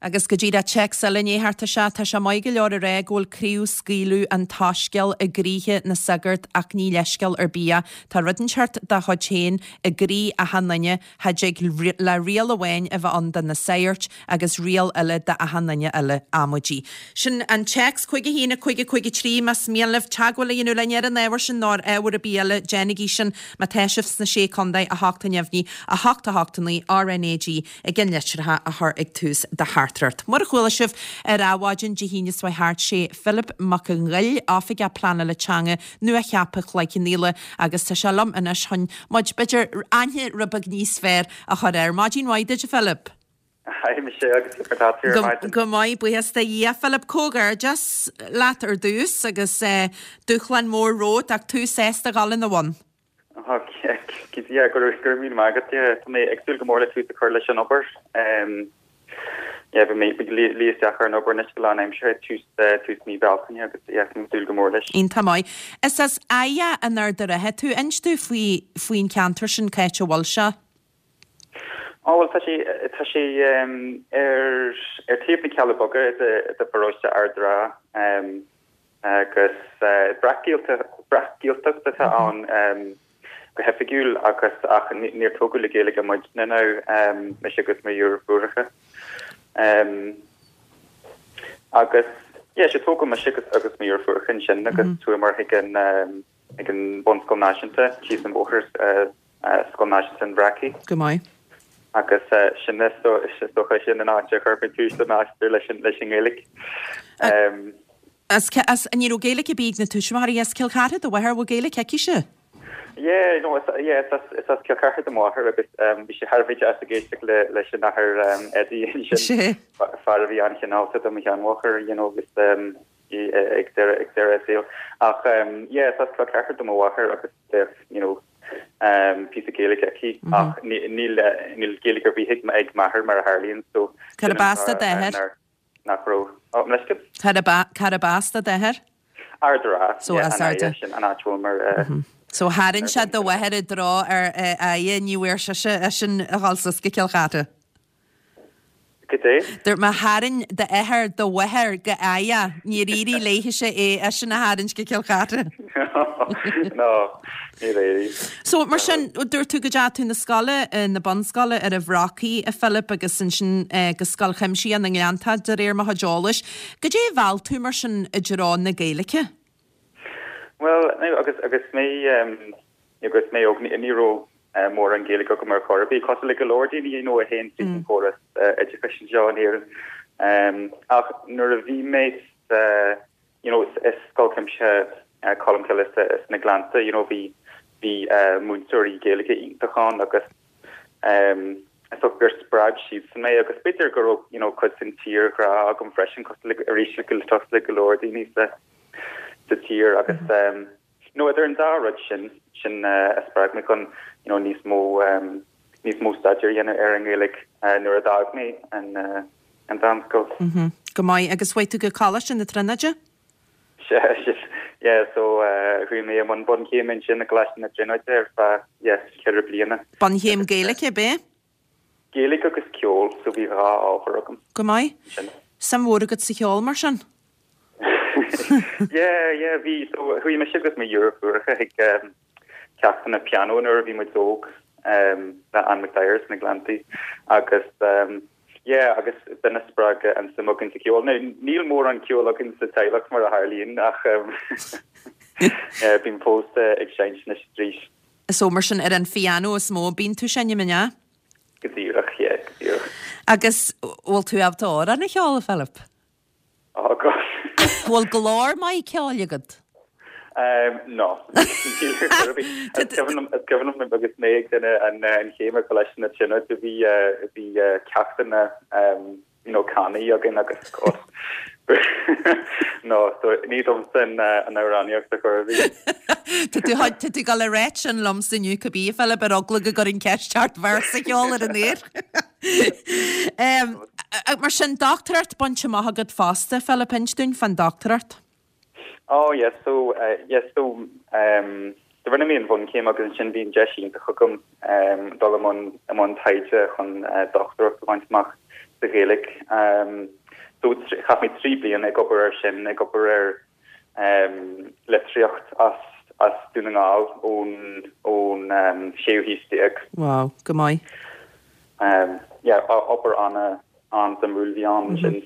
Agus go díreach téacs eile i ndiaidh theacht isteach, tá sé maith go leor a rá go bhfuil craobhscaoileadh an tSoiscéil i gcroíthe na sagart ach ní leithscéal ar bith é. Tá rud inteacht dá chuid féin i gcroí achan duine, Cha dtig le riail amháin a bheith ann do na saghairt agus riail eile d'achan duine eile. Amaidí. Sin an téacs, 5 1 5 5 3, más mian libh teagmháil a dhéanamh linn ar an ábhar sin nó ar ábhar ar bith eile, déanaigí sin má tá sibh sna Sé Contae, 8 neamhní, 8 8 9, RnaG, ag an litreacha a chur ag tús do theachtaireacht. Mura chuala sibh ar Adhmhaidin Dé hAoine seo thart, sé Philip Mac an Ghoill, Oifigeach Pleanála Teanga nua-cheaptha Chloich Cheann Fhaola agus tá sé liom anois chun muid, b'fhéidir, aithne rud beag níos fearr a chur air. Maidin mhaith duit, a Philip. Hi Michelle, agus mar tá tú ar maidin? Go maith, buíochas do Dhia. Philip, comhghairdeas leat ar dtús agus dúshlán mór romhat ach tú sásta a dhul ina bhun. Yeah, go raibh míle maith agat. Yeah, tá mé ag súil go mór le tús a chur leis an obair. Yeah, beidh mé ag luí isteach ar an obair anois go lánaimseartha tús tús mí Bealtaine agus yeah, tá mé ag súil go mór leis. Iontach maith. Is as Aighe in Ard a' Rátha tú. Inis domh faoi faoin cheantar sin, cá háit a bhfuil sé? Ó bhuel tá sé tá sé ar ar taobh na Cealla Beaga i de pharóiste Ard a' Rátha. Agus breac-Ghaeltacht atá ann go hoifigiúil agus ach níor tógadh le Gaeilge muidne now, mise agus mo dheirfiúracha. Agus yeah, sea tógadh mise agus agus mo dheirfiúracha ansin agus chuamar chuig an ag an Bunscoil Náisiúnta síos an bóthar Scoil Náisiúnta an Bhreacaigh. Go maith. Agus sin is dócha sin an áit a chuir mé tús le m'aistear leis an nGaeilge. As, as, ní raibh Gaeilge ar bith ag na tuismitheoirí as Cill Chartha do mháthair, bhfuil Gaeilge aici-se? Yeah, no, is, yeah, is as, is as Cill Chartha do mháthair agus bhí sé thar a bheith deas ag éisteacht le, leis an athair Eddie ansin, fear a bhí an-chineálta do mo sheanmháthair, you know, agus ag deireadh, ag deireadh a saoil. Ach yeah, is as Cill Chartha do mo mháthair agus bheadh, you know, píosa Gaeilge aici ach níl, níl Gaeilge ar bith ag m'athair mar a tharlaíonn so sin Cárb as do d'athair? nach raibh, oh, mo leithscéal? Cárb as do d'athair? Ard a' Rátha, So yeah, as an Ard a'. sin an áit a bhfuil mar. So tharraing sé do mháthair i dtreo ar Aighe, ní bhfuair sise eisean a dhul suas go Cill Chartha. Goidé? Dúirt mé tharraing d'athair do mháthair go Aighe, níor éirigh léithise é eisean a tharraingt go Cill Chartha. No, níor éirigh. So, mar sin, dúirt tú go dteachaigh tú na scoile, na bunscoile ar an Bhrocaigh, a Philip, agus ansin go Scoil Chuimsitheach na nGleanntach, de réir mo chuid eolais. Goidé a mheall tú, mar sin, i dtreo na Gaeilge? Bhuel, agus, agus mé, Agus mé óg ní raibh mórán Gaeilge agam ar chor ar bith, cosúil le go leor daoine you know a théann tríd an chóras oideachais anseo in Éirinn. Ach nuair a bhí mé sa you know i Scoil Chuimsitheach Cholmcille sna Gleannta you know bhí bhí múinteoirí Gaeilge iontach ann agus is dócha gur spreag siadsan mé agus b'fhéidir go raibh you know cuid den tírghrá agam freisin cosúil le arís cosúil le go leor daoine sa sa tír agus You know, idir an dá rud sin, sin a spreag mé chun, you know, níos mó, níos mó staidéir a dhéanamh ar an nGaeilge nuair a d'fhág mé an, an mheánscoil. Mm-hmm. Go maith. Agus chuaigh tú go Coláiste na Tríonóide? Sea, sin, yeah, so chuaigh mé i mbun bunchéime ansin i gColáiste na Tríonóide ar feadh, yeah, cheithre bliana. Bunchéim Gaeilge, ab é? Gaeilge agus ceol, so bhí dhá ábhar agam. Go maith. Suim mhór agat sa cheol mar sin? Yeah, yeah, bhí, so chuaigh mise agus mo dheirfiúracha chuig ceachtanna pianó nuair a bhí muid óg le Ann McDyer sna Gleanntaí agus yeah, agus b'in a spreag an suim againn sa cheol. Now, níl mórán ceoil againn sa teaghlach mar a tharlaíonn ach yeah, bím fós ag seinnt anois arís. So mar sin ar an phiano is mó a bíonn tú ag seinm, an ea? Go díreach, yeah, go díreach. Agus bhfuil tú ábalta amhrán a cheol, a Philip? Oh God. Bhfuil glór maith ceoil agat? Um, no. Níl ar chor ar bith. Is cuimhin liom, is cuimhin liom agus mé ag déanamh an, an chéim ar Choláiste na Tríonóide bhí, bhí ceachtanna um, you know, canadh againn agus God. No, so ní domsa an, an amhránaíocht ar chor ar bith. Tá tú, tá tú ag dul a ráit sin liomsa inniu cibé, a Philip, ar eagla go gcuirfinn ceist ort véarsa a cheol ar an aer. Mar sin, dochtúireacht bainte amach agat fosta, Philip, inis dúinn fán dochtúireacht. Oh yes, so yes, so do rinne mé an bhunchéim agus ansin bhí an deis iontach agam dul i mbun i mbun taighde chun dochtúireacht a bhaint amach sa Ghaeilge. So chaith mé 3 bliana ag obair ar sin, ag obair ar litríocht as as Dún na nGall ón ón séú haois déag. Wow, go maith. Yeah, obair ana an-suimiúil a bhí ann ansin.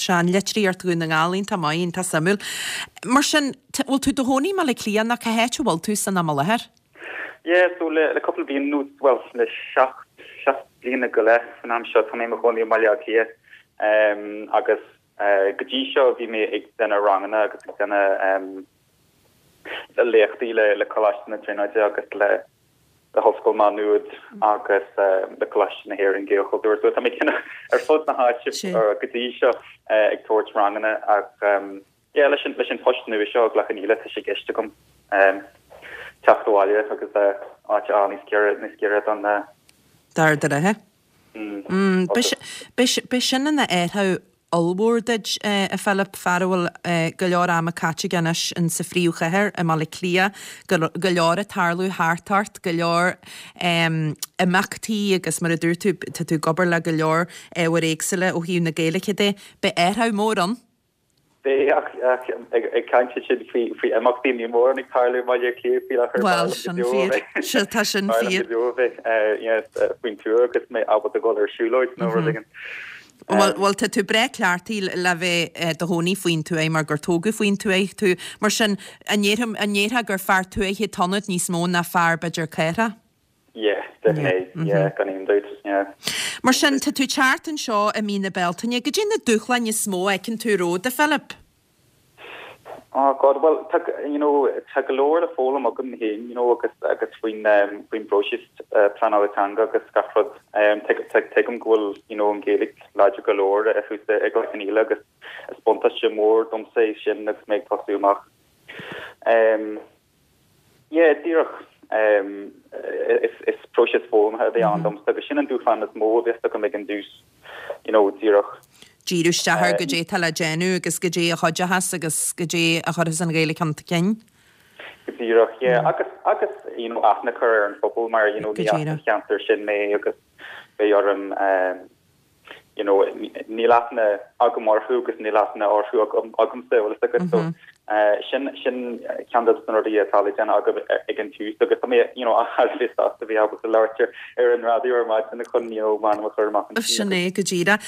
Seanlitríocht Dhún na nGall, iontach maith, iontach suimiúil. Mar sin, bhfuil tú i do chónaí i mBaile Átha Cliath nó cá háit a bhfuil tú san am i láthair? Yeah, so le le cúpla bliain anuas, bhuel, le seacht, seacht bliana go leith san am seo, tá mé i mo chónaí i mBaile Átha Cliath. Agus go dtí seo bhí mé ag déanamh ranganna agus ag déanamh léachtaí le le Coláiste na Tríonóide agus le le hOllscoil Má Nuad agus le Coláiste na hÉireann Gaelchultúr. So tá mé cineál ar fud na háite go dtí seo ag tabhairt ranganna ach yeah leis an leis an post nua seo i gCloich Cheann Fhaola tá sé i gceist agam teacht abhaile agus áit a fháil níos giorra níos giorra don D'Ard an Rátha. Beidh sin ina athrú ollmhór duit, a Philip, fear a bhfuil go leor ama caite aige anois in sa phríomhchathair i mBaile Átha Cliath, go leor ag tarlú thart ort, go leor imeachtaí agus mar a dúirt tú, tá tú ag obair le go leor ábhair éagsúla ó thaobh na Gaeilge de. Beidh athrú mór ann. Beidh, ach ag caint ansin faoi imeachtaí, níl mórán ag tarlú i mBaile Átha Cliath faoi láthair. Bhuel, sin fíor. Sea, tá sin fíor. B'fhearr liom go deo a bheith faoin tuath agus mé ábalta dul ar siúlóid nó rud éigin. Bhuel, bhuel, tá tú breá cleachtaithe le bheith i do chónaí faoin tuaith mar gur tógadh faoin tuaith tú. Mar sin, an ndéarfá gur fear tuaithe atá ionat níos mó ná fear, b'fhéidir, cathrach? Yeah, definitely, yeah, gan aon dabht, yeah. Mar sin, tá tú ag teacht anseo i mí na Bealtaine. Goidé na dúshláin is mó a fheiceann tú romhat, a Philip? Oh God, bhuel, tá, you know, tá go leor le foghlaim agam féin, you know, agus, agus faoin, faoin bpróiseas pleanála teanga agus gach rud. Tuigim go bhfuil, you know, an Ghaeilge láidir go leor thuas i gCloich Cheann Fhaola agus is buntáiste mór domsa é sin agus mé ag tosú amach. Yeah, díreach. Is próiseas foghlamtha a bheidh ann domsa agus sin an dúshlán is mó a bheas agam ag an dtús, you know, díreach. Díriú isteach ar goidé atá le déanamh agus goidé a chuideochas agus goidé a chuirfeas an Ghaeilge chun cinn. Go díreach, yeah. Agus, agus, you know, aithne a chur ar an phobal mar, you know, ní as an cheantar sin mé agus beidh orm, you know, níl aithne agam orthu agus níl aithne orthu agamsa, bhfuil fhios agat. So, sin, sin ceann de na rudaí atá le déanamh agam ag an tús agus tá mé, you know, thar a bheith sásta bheith ábalta labhairt ar an raidió ar maidin chun, you know, m'ainm a chur amach ansin. Sin é go díreach.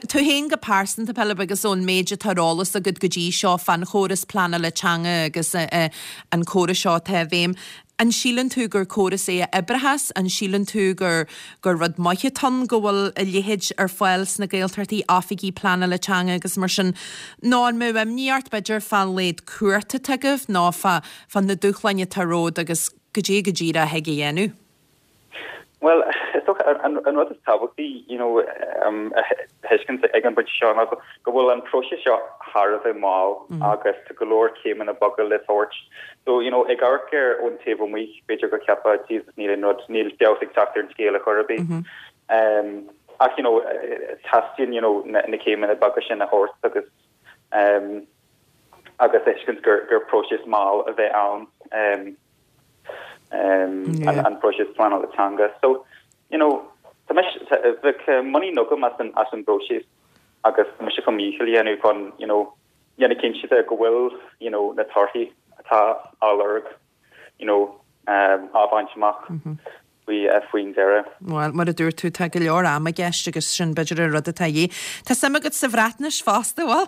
Tú féin go pearsanta, Pilib, agus ón méid atá ar eolas agat go dtí seo fán chóras pleanála teanga agus an córas seo atá i bhfeidhm, An síleann tú gur córas é a oibreochas? An síleann tú gur gur rud maith atá ann go bhfuil a leithéid ar fáil sna Gaeltachtaí, oifigí pleanála teanga agus mar sin? Nó an mbeadh imní ort, b'fhéidir, fán laghad cumhachta atá agaibh nó fá fá na dúshláin atá romhat agus goidé go díreach a thig a dhéanamh? Bhuel, is dócha, an rud is tábhachtaí, you know, a thuiscint ag an bpointe seo ná go bhfuil an próiseas seo thar a bheith mall agus tá go leor céimeanna beaga le tabhairt. So, you know, ag amharc air ón taobh amuigh, b'fhéidir go gceapfá, Jesus, níl aon rud, níl feabhas ag teacht ar an scéal ar chor ar bith. Ach, you know, teastaíonn, you know, na céimeanna beaga sin a thabhairt agus, agus a thuiscint gur próiseas mall a bheidh ann. an próiseas pleanála teanga. So, you know, tá mise, bheadh muinín agam as an, as an bpróiseas agus tá mise chun mo dhícheall a dhéanamh chun, you know, dhéanamh cinnte de go bhfuil, you know, na torthaí atá á lorg, you know, á bhaint amach faoi, faoin deireadh. Bhuel, mar a dúirt tú, tá go leor ama i gceist agus sin b'fhéidir an rud atá a dhíth. Tá suim agat sa Bhreatnais fosta, bhfuil?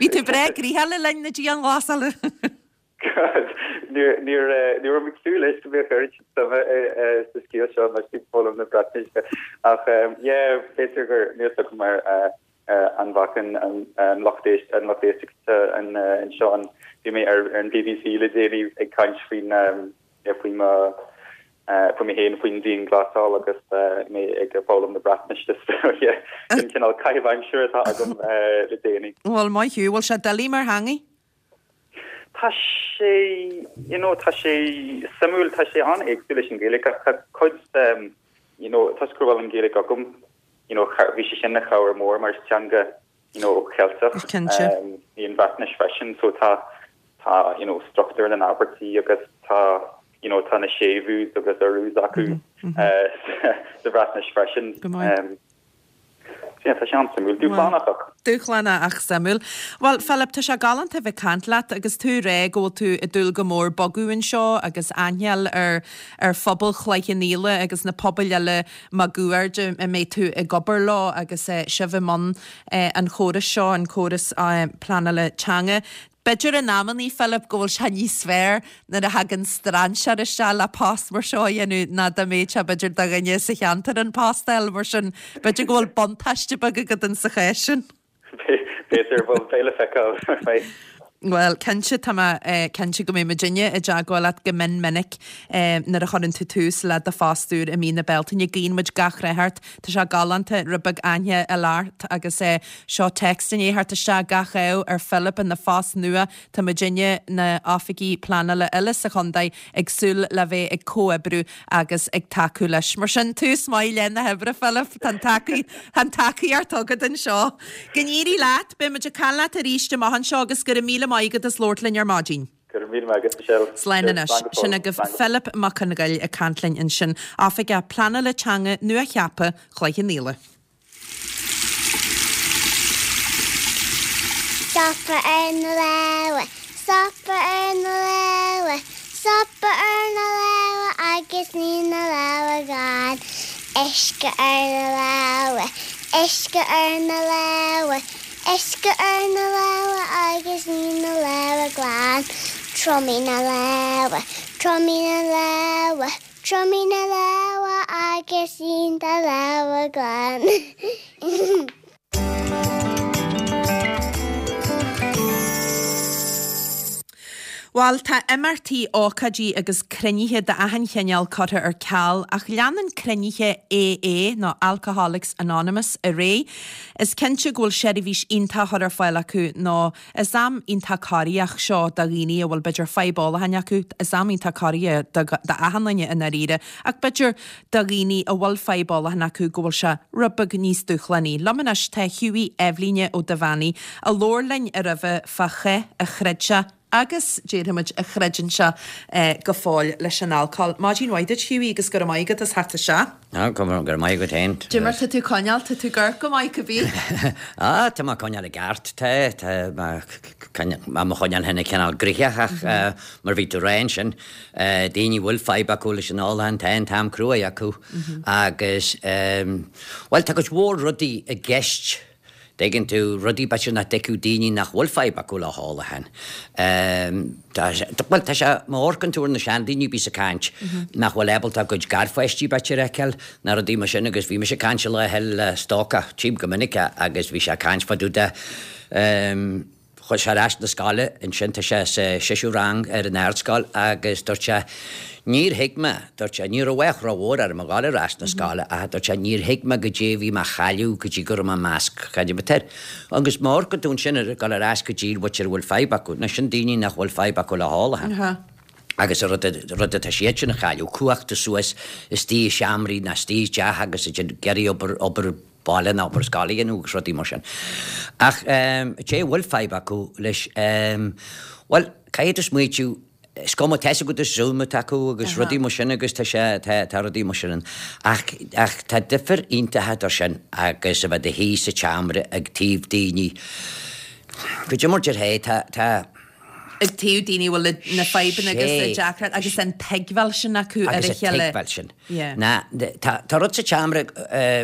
Bhí tú breá gnoitheach le linn na dianghlasála. God, níor, níor, ní raibh mé ag súil leis go mbeadh oiread sin suime sa scéal seo mar sin foghlaim na Breatnaise. Ach yeah, b'fhéidir gur níl fhios agam mar an bhfacann an lucht éist, an lucht éisteachta anseo an, bhí mé ar an BBC le déanaí ag caint faoin faoi mo faoi mé féin faoin dianghlasáil agus mé ag foghlaim na Breatnaise so yeah, sin cineál caitheamh aimsire atá agam le déanaí. Bhuel, maith thú. Bhfuil sé doiligh mar theangaidh? Tá sé, you know, tá sé suimiúil, tá sé an-éagsúil leis an Ghaeilge ach tá cuid. you know, toisc go bhfuil an Ghaeilge agam, you know, bhí sé sin ina chabhair mór mar is teanga, you know, Cheilteach í an Bhreatnais freisin, so tá, tá, you know, struchtúr na n-abairtí agus tá, you know, tá na séimhiús agus urús acu sa Bhreatnais freisin. Go maith. Sea, tá sé an-suimiúil. Dúshlánach ach. Dúshlánach ach suimiúil. Bhuel, Philip, tá sé galánta a bheith ag caint leat agus tú ag rá go bhfuil tú ag dúil go mór bogadh anseo agus aithne a fháil ar ar phobal Chloich Cheann Fhaola agus na pobail eile máguaird a mbeidh tú ag obair leo agus sibh i mbun an chórais seo, an córas pleanála teanga. B'fhéidir in amannaí, Philip, go bhfuil sé níos fearr nuair a thagann strainséir isteach le post mar seo a dhéanamh ná dá mbeadh sé b'fhéidir do dhuine sa cheantar an post a fháil, mar sin b'fhéidir go bhfuil buntáiste beag agat in sa chás sin. B'fhéidir, bhuel, beidh le feiceáil. Bhuel, cinnte, tá mé cinnte go mbeidh muidinne i dteagmháil leat go mion minic nuair a chuireann tú tús le do phost úr i mí na Bealtaine. Guíonn muid gach rath ort. Tá sé galánta rud beag aithne a fháil ort agus seo téacs i ndiaidh theacht isteach gach ádh ar Philip ina phost nua. Tá muidinne, na oifigigh pleanála uile sa chontae, ag súil le bheith ag comhoibriú agus ag tacú leis. Mar sin, tús maith le na hoibre, Philip. Tá an tá an tacaíocht agat anseo. Go n-éirí leat. Beidh muid ag caint leat arís amach anseo agus go raibh míle maith agat as labhairt linn ar maidin. Go raibh míle maith agat, Michelle. Slán anois. Sin agaibh Philip Mac Congáil ag caint linn ansin, Oifigeach Pleanála Teanga nua-cheaptha Chloich Cheann Fhaola. Stopadh ar na lámha, stopadh ar na lámha, stopadh ar na lámha agus ní na lámha glan. Uisce ar na lámha, uisce ar na lámha, uisce ar na lámha agus ní na lámha glan. Triomaigh na lámha, triomaigh na lámha, Triomaigh na lámha agus ní do lámha glan. Bhuel, tá imeachtaí, ócáidí agus cruinnithe d'achan chineál curtha ar ceal ach leanann cruinnithe AA, nó Alcoholics Anonymous, ar aghaidh. Is cinnte go bhfuil seirbhís iontach á chur ar fáil acu nó Is am iontach corraitheach seo do dhaoine a bhfuil b'fhéidir fadhb ólacháin acu, is am iontach corraitheach d'achan duine i ndáiríre, ach b'fhéidir do dhaoine a bhfuil fadhb ólacháin acu go bhfuil sé rud beag níos dúshlánaí. Liom anois tá Hughie Eibhlíne Ó Duibheannaigh, a labhair linn roimhe fá chath a throid sé agus, déarfaimid, a throideann sé go fóill leis an alcól. Maidin mhaith duit Hughie agus go raibh maith agat as theacht isteach. Á, go raibh maith agat féin. Cad é mar tá tú ag coinneáil, tá tú ag amharc go maith cibé. Á, tá mé ag coinneáil i gceart, tá, tá mé mo choinneáil féin cineál gnoitheach ach mar bhí tú ag rá ansin, daoine a bhfuil fadhb acu leis an ólachán, tá an t-am cruaidh acu agus, bhuel, tá cuid mhór rudaí i gceist dtuigeann tú, rudaí b'fhéidir nach dtuigfeadh daoine nach bhfuil fadhb acu le hólachán. Bhuel, tá sé, má amharcann tú ar na seandaoine a bhíos ag caint, nach bhfuil ábalta a gcuid garpháistí b'fhéidir a fheiceáil, ná rudaí mar sin agus bhí mise ag caint lá eile le stócach, tchím go minic é, agus bhí sé ag caint fá dtaobh de, Chuaigh sé ar ais na scoile ansin, tá sé sa séú rang ar an ardscoil agus dúirt sé, níor thuig mé, dúirt sé, ní raibh ach rómhór orm a ghabháil ar ais na scoile ach dúirt sé, níor thuig mé goidé a bhí mé a chailleadh go dtí go raibh mé i measc cad é Agus má amharcann tú ansin ar ghabháil ar ais go dtí b'fhéidir a bhfuil fadhb acu, nó sin daoine nach bhfuil fadhb acu le hólachán. Agus an rud, rud atá siad sin a chailleadh, cumhacht suas istigh i seomraí nó istigh i dteach agus ag iarraidh obair, obair baile nó obair scoile a dhéanamh agus rudaí mar sin. Ach cé a bhfuil fadhb acu leis, bhuel, caithfidh tú smaoitiú, is cuma, tá a fhios agat is Zoom atá acu agus rudaí mar sin agus tá sé, tá, tá rudaí mar sin ann. Ach, ach tá difear iontach idir sin agus a bheith i do shuí sa tseomra ag taobh daoine, goidé mar déarfá é, tá, tá, ag taobh daoine a bhfuil na fadhbanna agus na deacrachtaí agus an tuigbheáil sin acu ar a chéile. Agus an tuigbheáil sin. Ná, tá rud sa tseomra,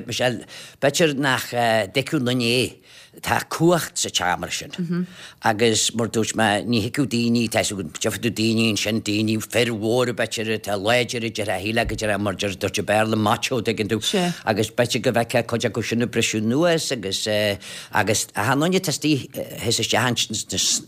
Michelle, b'fhéidir nach dtuigfeadh aon duine é, tá cumhacht sa tseomra sin. Agus mar dúirt mé, ní thuigfeadh daoine, tá a fhios agat, gheobhaidh tú daoine ansin, daoine, fir mhóra b'fhéidir atá láidir, a déarfá, shílfeá go déarfá mar dúirt i Béarla macho, tuigeann tú. Agus b'fhéidir go bhfeicfeá cuid acu sin ag briseadh anuas agus, Agus achan duine atá istigh thíos isteach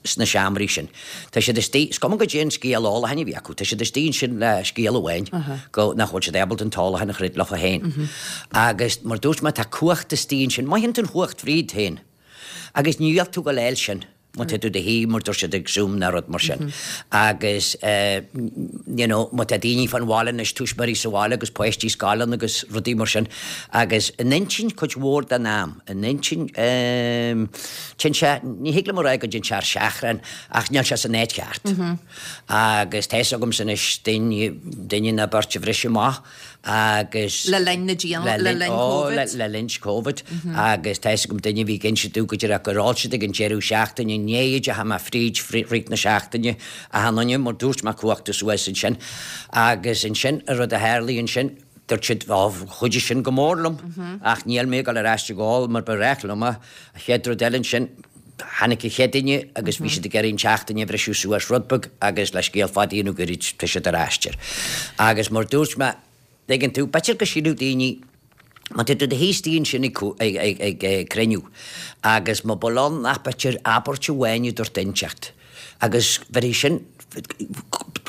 sna seomraí sin, tá siad istigh, is cuma goidé an scéal ólacháin a bhí acu, tá siad istigh ansin le scéal amháin, go, nach bhfuil siad ábalta an t-ólachán a throid leofa féin. Agus mar dúirt mé, tá cumhacht istigh ansin, mothaíonn tú an chumhacht fríd féin. Agus ní bheadh tú ag gabháil a fháil sin. Má tá tú i do shuí mar dúirt siad ag Zoom ná rud mar sin. Agus you know má tá daoine fán bhaile anois, tuismitheoirí sa bhaile agus páistí scoileanna agus rudaí mar sin. Agus an intinn cuid mhór den am, an intinn ehm téann sé, ní thig liom a rá go dtéann sé ar seachrán ach níl sé san áit cheart. Agus tá fhios agamsa anois duine, duine nó beirt a bhris amach agus. Le linn na dian, le linn Covid. Le linn Covid agus tá fhios agam duine a bhí ag inse domh go díreach gur ól siad ag an deireadh seachtaine i ndiaidh a dteachaigh mé fríd rith na seachtaine achan duine mar dúirt mé cumhachta suas ansin agus ansin an rud a tharlaigh ansin dúirt siad ó chuidigh sin go mór liom ach níl mé ag dul ar ais ag ól mar ba ghnách liom é. An chéad rud eile ansin tháinig an chéad duine agus bhí siad ag iarraidh an tseachtain a bhriseadh suas rud beag agus le scéal fada a dhéanamh gairid tá siad ar ais air. Agus mar dúirt mé, tuigeann tú, b'fhéidir go síleadh daoine, má tá tú i do shuí istigh ansin ag cruinniú agus má bhfuil ann ach b'fhéidir abairt amháin a dúirt inteacht agus bheirfidh sin,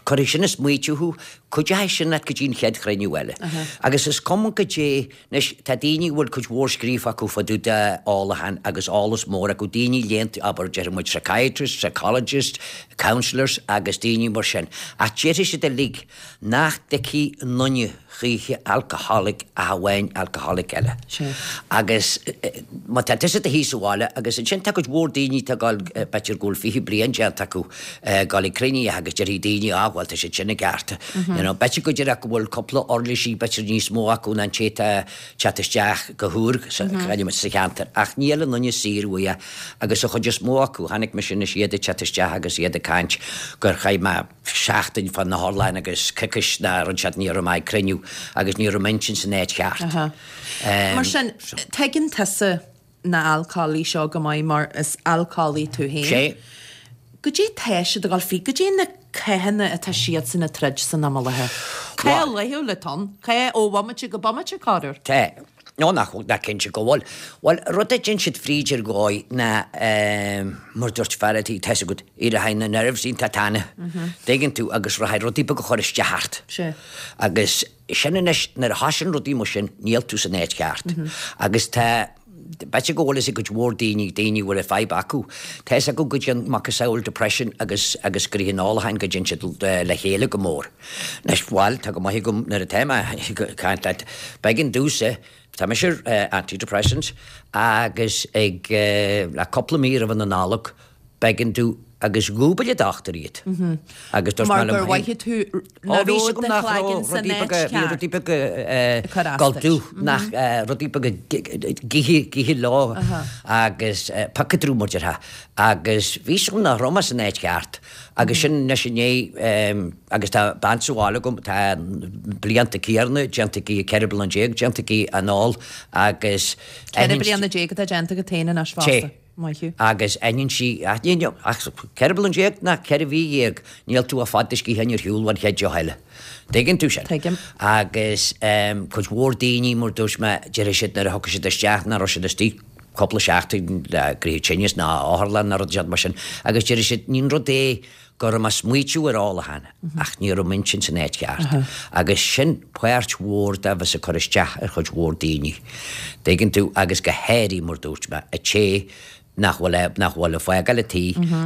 cuirfidh sin ag smaoitiú thú, cuideoidh sin leat go dtí an chéad chruinniú eile. Agus is cuma goidé Anois, tá daoine a bhfuil cuid mhór scríofa acu fá dtaobh de ólachán agus eolas mór acu, daoine léannta, abair, déarfaidh muid psychiatrists, psychologists, counsellors agus daoine mar sin, ach déarfaidh siad uilig nach dtuigfidh aon duine choíche alcoholic ach amháin alcoholic eile. Agus má tá tusa i do shuí sa bhaile agus ansin tá cuid mhór daoine atá ag dul, b'fhéidir go bhfuil 20 bliain déanta acu, ag dul ag cruinnithe agus déarfaidh daoine, ah bhuel tá siad sin i gceart. You know, b'fhéidir go díreach go bhfuil cúpla uirlisí b'fhéidir níos mó acu ná an té atá ag teacht isteach go húr sa sa cheantar. Ach níl aon duine saor uaidh agus an chuid is mó acu, chonaic mise anois iad ag teacht isteach agus iad ag caint gur chaith mé seachtain fá na hurláin agus coicís ná rud siad ní raibh mé ag cruinniú agus ní raibh m'intinn san áit cheart. Mar sin, tuigeann tusa na alcólaigh seo go maith mar is alcólaí tú féin. Sé. Goidé tá siad ag dul fríd, goidé na cathanna atá siadsan ag troid san am i láthair? Cath laethúil atá ann, cath ó bhomaite go bomaite, corruair. Tá. Nó nach bhfuil, nach cinnte go bhfuil. Bhuel, rud a dtéann siad fríd ar dhóigh ná, mar dúirt fear a' tí, tá 'fhios agat, éireoidh na nerves iontach tana. Dtuigeann tú, agus rachaidh rudaí beaga ag cur isteach ort. Sé. Agus Sin anois, nuair a thosaíonn rudaí mar sin, níl tú san áit cheart. Agus tá, b'fhéidir go bhfuil fhios ag cuid mhór daoine, daoine a bhfuil an fadhb acu, tá fhios acu go dtéann macasamhail depression agus, agus gnoithe an ólacháin, go dtéann siad le chéile go mór. Anois, bhuel, tá go maith agam nuair atá mé ag caint leat, b'éigean domhsa, tá mise ar antidepressants agus ag, le cúpla mí roimh an Nollaig, B'éigean domh agus dhúbail an dochtúir iad. Agus dúirt mé liom féin. Mar gur mhothaigh tú nach raibh do chloigeann san áit cheart. Bhí rudaí beaga ag gabháil domh, nach rudaí beaga githe leo agus piocadrú mar déarfá. Agus bhí fhios agam nach raibh mé san áit cheart. Agus sin anois inné agus tá bean sa bhaile agam, tá blianta céarna déanta aici, 14 bliana déanta aici an ól agus. 14 bliana atá déanta agat féin anois fosta. Maith thú. Agus aithníonn sí, aithníonn, ach 14 bliana ná 14 mhí, níl tú ag fad do sciatháin ar shiúl an chéad deoch eile. Tuigeann tú sin. Tuigim. Agus cuid mhór daoine, mar dúirt mé, déarfaidh siad nuair a thiocfaidh siad isteach nach raibh siad istigh cúpla seachtain le gnoithe tinnis ná otharlann ná rud mar sin agus déarfaidh siad ní rud é go raibh mé ag smaoitiú ar ólachán ach ní raibh m'intinn san áit cheart. Agus sin páirt mhór de bheas ag cur isteach ar chuid mhór daoine. Dtuigeann tú? Agus go háirithe, mar dúirt mé, a té nach bhfuil, nach bhfuil ag fágáil an tí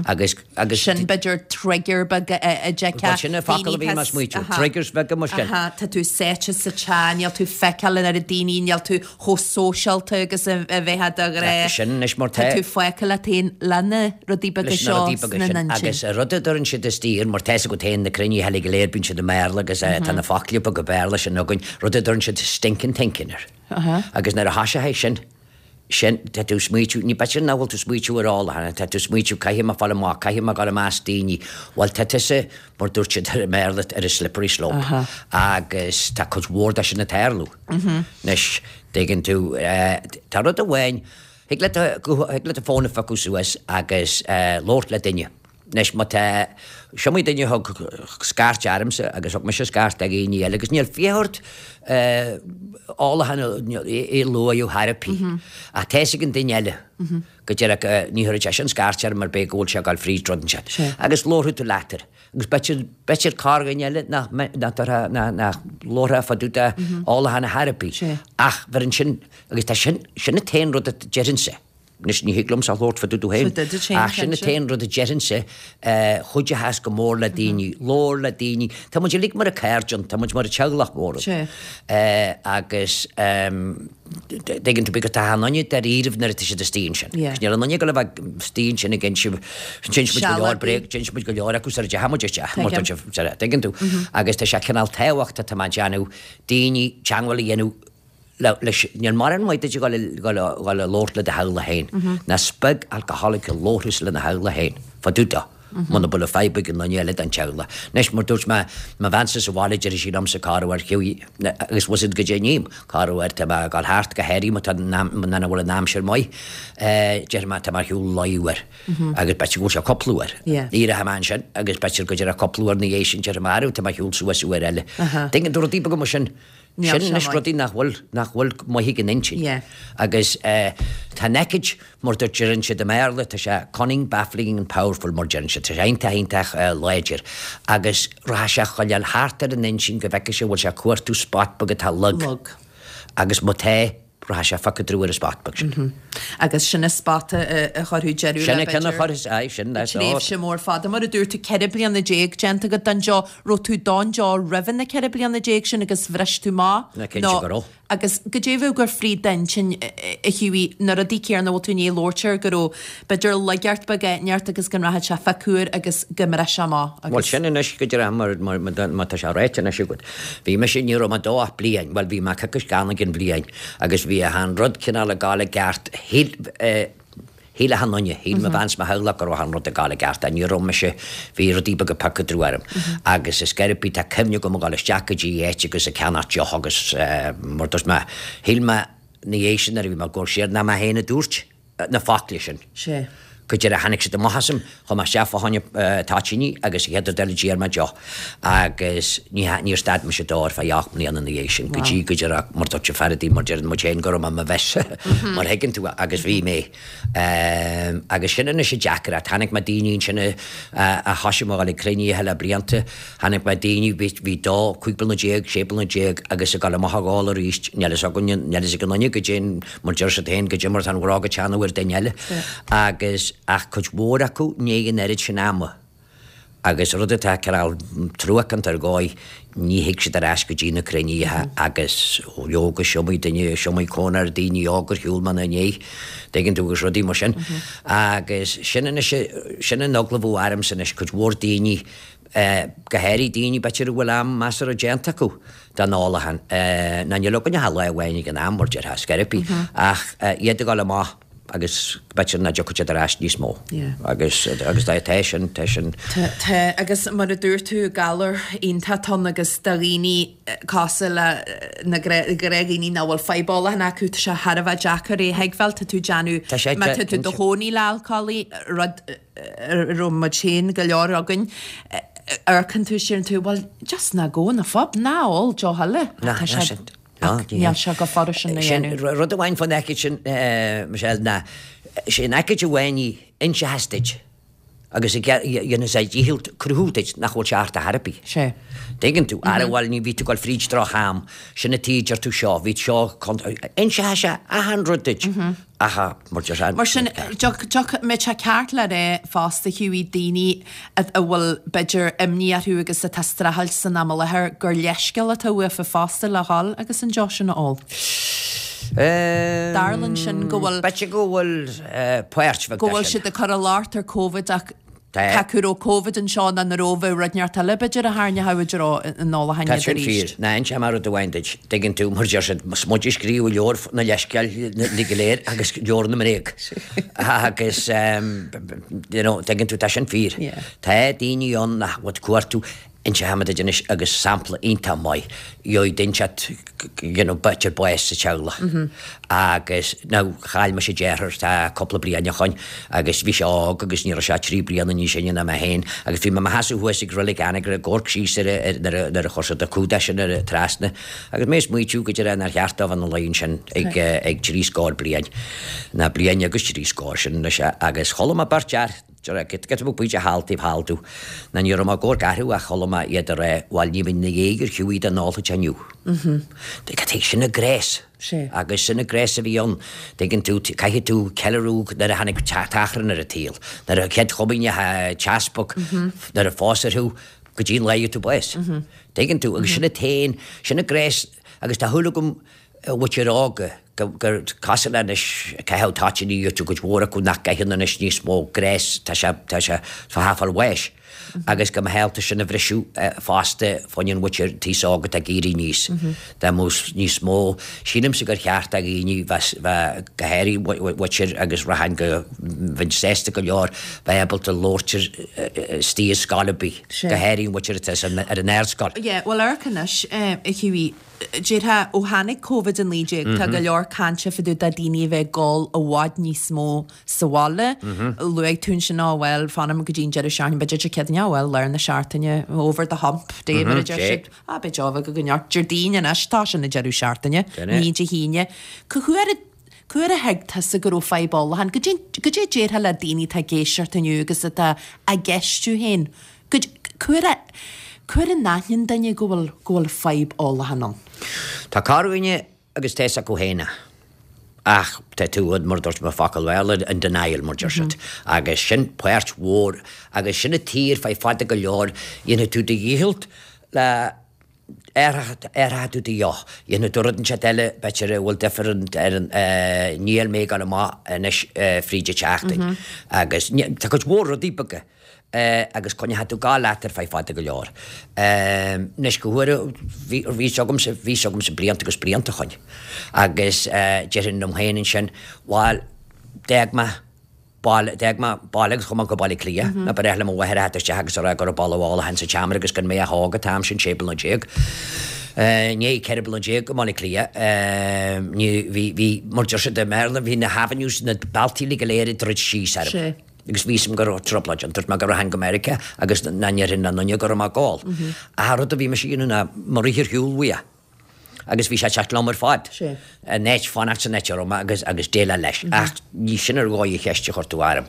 agus, agus. Sin b'fhéidir trigger beag a d'fheicfeá. Bhuel sin an focal a bhí mé ag smaoitiú, triggers beaga mar sin. Aha, tá tú sáite sa teach, níl tú ag feiceáil an oiread daoine, níl tú chomh sóisialta agus a bheifeá de ghnáth. Sin anois mar tá. Tá tú fágtha leat féin le na rudaí beaga leis na seo rudaí beaga sna sin. n-intinn. Agus an rud a deireann siad istigh, mar tá fhios agat féin na cruinnithe eile go léir bíonn siad i mBéarla agus tá na focla beaga Béarla sin againn, rud a deireann siad stinking thinking air. Agus nuair a thoiseoidh sin, sin, tá tú ag smaoitiú, ní b'fhéidir nach bhfuil tú ag smaoitiú ar ólachán, tá tú ag smaoitiú caithfidh mé fáil amach, caithfidh mé dul i measc daoine, bhuel tá tusa, mar dúirt siad i mBéarla, ar an slippery slope. Agus tá cuid mhór de sin ag tarlú. Anois, tuigeann tú, tá rud amháin, Thig leat thig leat do fón a phiocadh suas agus labhairt le duine. Anois má tá, is iomaí duine a thug scairt ormsa agus thug mise scairt do dhaoine eile agus níl fiacha ort ólachán a luadh thar ar bith. Ach tá fhios ag an duine eile go díreach ní thabharfaidh seisean scairt orm mar b'fhéidir go bhfuil sé ag dul fríd rud inteacht. Agus labharfaidh tú leat air. Agus b'fhéidir, b'fhéidir corrdhuine eile nach, nach dtabharfá, nach, nach labharfá fá dtaobh de ólachán ar chor ar bith. Ach bheir ansin, agus tá sin, sin an t-aon rud a déarfainnse. Anois ní thig liomsa labhairt fá dtaobh domh féin, ach sin an t-aon rud a déarfainnse, chuideochas go mór le daoine, labhair le daoine. Tá muid uilig mar a cairde, tá muid mar a teaghlach mór. Agus dtuigeann tú, because tá achan nduine dáiríribh nuair atá siad istigh ansin. Agus níl aon nduine ag dul a bheith istigh ansin ag inse, d'inis muid go leor bréag, d'inis muid go leor acu sara dteachaigh muid isteach, mar tuigeann tú. Agus tá sé cineál tábhachtach, tá mé ag déanamh, daoine teangmháil a dhéanamh leis, níl mórán maith duit a dhul a labhairt le do theaghlach féin. Ná is beag alcoholic a labharfas lena theaghlach féin, fá dtaobh dó, muna bhfuil fadhb ag an nduine eile den teaghlach. Anois, mar dúirt mé, mo bheansa sa bhaile, déarfaidh sí liomsa corruair, Hughie, agus bhfuil a fhios agat goidé a ním, corruair, tá mé ag dul thart go háirithe má tá, nuair a bhfuil an aimsir maith, déarfaidh mé, tá mé ar shiúl leath uair. Agus b'fhéidir go bhfuil sé cúpla uair. Éireoidh mé ansin agus b'fhéidir go deireadh cúpla uair ina dhiaidh sin, déarfaidh mé, arú, tá mé ar shiúl suas uair eile. Tuigeann tú rudaí beaga mar sin. Níl Sin sé anois maith. rudaí nach bhfuil, nach bhfuil maith ag an intinn. Yeah. Agus eh, tá an aicíd, mar a deireann siad i mBéarla, tá sé cunning, baffling and powerful mar deireann siad. Tá sé iontach, iontach eh, láidir. Agus rachaidh sé a choileáil thart ar an intinn go bhfeicfidh sé bhfuil sé ag cuartú spot beag atá lag. Lag. Agus má tá, rachaidh sé ag piocadh brú ar an spot beag sin. Agus sin an spot a chuirfeadh deireadh Sin le, an ceann a b'fhéidir, chuirfeas, aye, sin, that's all. tréimhse mór fada. Mar a dúirt tú, 14 bliana déanta agat den deoch. Raibh tú don deoch roimhe na 14 bliana sin agus bhris tú amach? Ná cinnte go raibh. Agus goidé a bheadh ag goil fríd d'intinn, a Hughie, na rudaí céarna a bhfuil tú i ndiaidh labhairt air, go raibh, b'fhéidir, laigeacht beag inteacht agus go nrachadh sé fá cuar agus go mbrisfeadh amach agus. Bhuel, sin anois go díreach mar, mar, má tá sé ráite anois agat. Bhí mise, ní raibh mé dó ach bliain, bhuel bhí mé coicís gann ag an bhliain agus bhí achan rud cineál ag gabháil i gceart, shíl, eh, shíl achan nduine, shíl mo bhean 's mo theaghlach go raibh achan rud ag gabháil i gceart ach ní raibh mise, bhí rudaí beaga ag piocadh brú orm. Agus is gurb í, tá cuimhne agam ag gabháil isteach go dtí áit agus ag ceannacht deoch agus, eh, mar dúirt mé, shíl mé ina dhiaidh sin nuair a bhí mé ag gabháil siar, nach mé féin a dúirt. na focla sin. Sea. Go deireadh tháinig siad amach asam, chuaigh mé isteach fá choinne toitíní agus an chéad rud eile d'iarr mé deoch. Agus ní, níor stad mise dó ar feadh 8 mbliana ina dhiaidh sin, go dtí go deireadh, mar dúirt an fear a dtí, mar deireann muid féin go raibh mé i mo mhess, mar thuigeann tú, agus bhí mé. Agus sin anois an deacracht. Chonaic mé daoine ansin a, a thoisigh mé a dhul ag cruinnithe le blianta, Chonaic mé daoine, bhí, bhí dó, 15 bliana, 16 bliana agus ag dul amach ag ól arís, níl fhios againne, níl fhios ag aon duine goidé, mar deir siad féin, goidé mar atá an bhróg ag teannadh ar duine eile. Agus, ach cuid mhór acu i ndiaidh an oiread sin ama. Agus rud atá cineál truacánta ar dhóigh, ní thig siad ar ais go dtí na cruinnithe agus, leoga, is iomaí duine, is iomaí cónair daoine óga ar shiúl mé ina ndiaidh, dtuigeann tú, agus rudaí mar sin. Agus sin anois, sin an eagla a bheadh ormsa anois, cuid mhór daoine, go háirithe daoine b'fhéidir a bhfuil am measartha déanta acu den ólachán, ná níl againn ach lá amháin ag an am, mar déarfá, scor ar bith, ach iad ag dul amach agus b'fhéidir nach dtiocfaidh siad ar ais níos mó. Agus agus tá tá sin, tá sin. Tá, tá, agus mar a dúirt tú, galar iontach atá ann agus do dhaoine cosúil le na gnáthdhaoine nach bhfuil fadhb ólacháin acu, tá sé thar a bheith deacair é a thuigbheáil, tá tú ag déanamh, Tá sé, má tá tú i do chónaí le alcólaí, rud a raibh muid féin, go leor againn, amharcann tú is deireann tú, bhuel, just ná gabh 'on phub, ná ól deoch eile. Ná, Tá ná sé, sin. Ná, ach níl sé chomh furast sin a Sin, dhéanamh. rud amháin fán aicíd sin, Michelle, ná, sé an aicíd amháin í, inseochas duit agus a dhéanfas a dhícheall cruthú duit nach bhfuil sé ort ar chor ar bith. Sé. Tuigeann tú, ara bhuel, ní bhí tú ag dul fríd droch-am, sin an tuige a deir tú seo, bhí seo, inseoidh sé achan rud duit. Aha, mar deir sé. Mar sin, mbeadh sé ceart le rá fosta, Hughie, daoine a bhfuil, b'fhéidir, imní orthu agus atá ag streachailt san am i láthair, gur leithscéal atá uafa fosta le dhul agus an deoch sin a ól. Dar linn sin go bhfuil. B'fhéidir go bhfuil páirt bheag de sin. Go bhfuil siad ag cur an locht ar Covid ach Cé acu raibh Covid anseo nó an raibh, bheadh rud inteacht eile b'fhéidir a tharraingeodh i dtreo an ólacháin Tá iad sin arís. fíor. Ná inseoidh mé rud amháin duit. Tuigeann tú, mar deir siad, is muid a scríobh leabhar na leithscéal go léir agus leabhar na mbréag. Agus, you know, tuigeann tú, tá sin fíor. Tá daoine ann nach bhfuil ag cuartú Inseoidh mé duit anois agus sampla iontach maith, gheobhaidh duine inteacht you know b'fhéidir bás sa teaghlach agus now chaill mise deartháir tá cúpla bliain ó shoin agus bhí sé óg agus ní raibh sé ach 3 bliana níos sine ná mé féin agus bhí mé i mo sheasamh thuas ag Reilig Anagaire ag amharc síos ar nuair a nuair a chuir siad an cumhdach sin ar trasna agus mé ag smaoitiú go deireadh nár cheart dó bheith ina luí ansin ag ag trí scór bliain ná bliain agus trí scór sin anois agus chuala mé beirt fhear. Giota beag bídeach thall taobh thall domh. Ná ní raibh mé ag amharc orthu ach chuala mé iad ag rá, bhuel ní bheinn ina dhiaidh ar Hughie dá n-ólfadh sé inniu. Cad sin an gnás. Agus sin an gnás a bhí ann. Tuigeann tú, caithfidh tú ceiliúradh nuair a tháinig t-achrann ar an tsaol, nuair a chéad chomaoineach an t-easpag, nuair a phóstar thú, go dtí an lá a gheobhaidh tú bás. Tuigeann tú, agus sin an t-aon, sin an gnás, agus tá shúil agam a mhuintir óga, gur cosúil le anois, caitheadh toitíní duit, cuid mhór acu nach gcaitheann anois níos mó gnás, tá sé, tá sé, tá sé fáil bháis. Agus go mba ábalta sin a bhriseadh fosta fá choinne an mhuintir taos óg atá ag éirí aníos. Dá mbeadh níos mó, sílimse gur cheart do dhaoine bheith, bheith, go háirithe mhuintir agus rachainn go, bheinn sásta go leor bheith ábalta labhairt ar istigh i scoil ar bith, go háirithe an mhuintir atá ar an ardscoil. Yeah, bhuel amharc anois, a Hughie, Déarfá, ó tháinig Covid-19, tá go leor cainte fá dtaobh de daoine a bheith ag ól i bhfad níos mó sa bhaile. Luaigh tú ansin, á bhuel, fanaim go dtí an deireadh seachtaine, b'fhéidir Dé Céadaoin, á bhuel, lár na seachtaine, over the hump day, mar a deir siad. Á, beidh deoch bheag againn ort. Déardaoin anois, tá sin an deireadh seachtaine, ní Dé hAoine. Cá huair a, cá huair a thuig tusa go raibh fadhb ólacháin? Goidé, goidé a déarfá le daoine atá ag éisteacht inniu agus atá á gceistiú féin? Cá huair a, cá huair a n-aithníonn duine go bhfuil, go bhfuil fadhb ólacháin ann? Tá corrdhuine agus tá fhios acu féin é. Ach tá tú, mar a dúirt mé focal Bhéarla, in denial, mar deir siad. Agus sin páirt mhór, agus sin an tír fé fada go leor, dhéanfaidh tú do dhícheall le athróidh tú do dheoch. Dhéanfaidh tú rud inteacht eile, b'fhéidir a bhfuil difear ar an, níl mé ag dul amach anois fríd an tseachtain. Agus tá cuid mhór rudaí beaga agus coinneoidh tú ag gabháil leat ar feadh fada go leor. Anois go huaire, bhí fhios agamsa, bhí fhios agamsa blianta agus blianta ó shoin. Agus déarfainn liom féin ansin, bhuel, d'fhág mé, baile, d'fhág mé baile agus chuaigh mé go Baile Átha Cliath. Nó ba ghnách le mo mháthair a theacht isteach agus a rá go raibh boladh ólacháin sa tseomra agus gan mé ach óg an t-am sin, 16 bliana. I ndiaidh 14 bliana i mBaile Átha Cliath, ní, bhí, bhí, mar deir siad i mBéarla, bhí na avenues, na bealtaí uilig go léir ag druid síos orm. Agus bhí fhios agam go raibh trioblóid ann. Dúirt mé go rachainn go Meiriceá agus nach ndéarfainn le aon duine go raibh mé ag gabháil. Ach an rud a bhí mise a dhéanamh ná mo rith ar shiúl uaidh. Agus bhí sé ag teacht liom ar fad. In áit fanacht san áit a raibh mé agus agus déileáil leis. Ach ní sin ar dhóigh an cheist a chuir tú orm.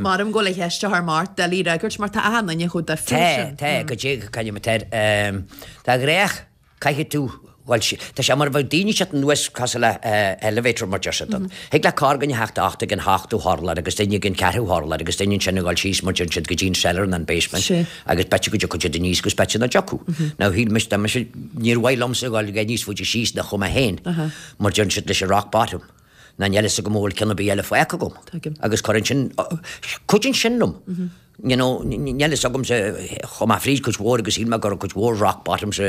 Maram go bhfuil an cheist a chur mar doiligh a fhreagairt mar tá achan duine chomh difriúil Tá, sin. tá, go dté, cá bhfuil mé Tá gnách Caithfidh tú, bhuel, tá sé mar a bheadh daoine ag teacht anuas cosúil le elevator mar deir siad. Thig le corrdhuine theacht theacht ag an hochtú hurlár agus duine ag an ceathrú hurlár agus duine ansin ag dul síos mar deireann siad go dtí an cellar nó an basement agus b'fhéidir go dtiocfadh siad aníos agus b'fhéidir nach dtiocfadh. Now shíl mise, dá mise, níor mhaith liomsa a dhul níos faide síos ná chuaigh mé féin mar deireann siad leis an rock bottom. Ná níl fhios agam an bhfuil ceann ar bith eile fágtha agam. Agus cuireann sin, cuidíonn sin liom. You know, níl fhios agamsa, chuaigh mé fríd cuid mhór agus shíl mé go raibh cuid mhór rock bottoms a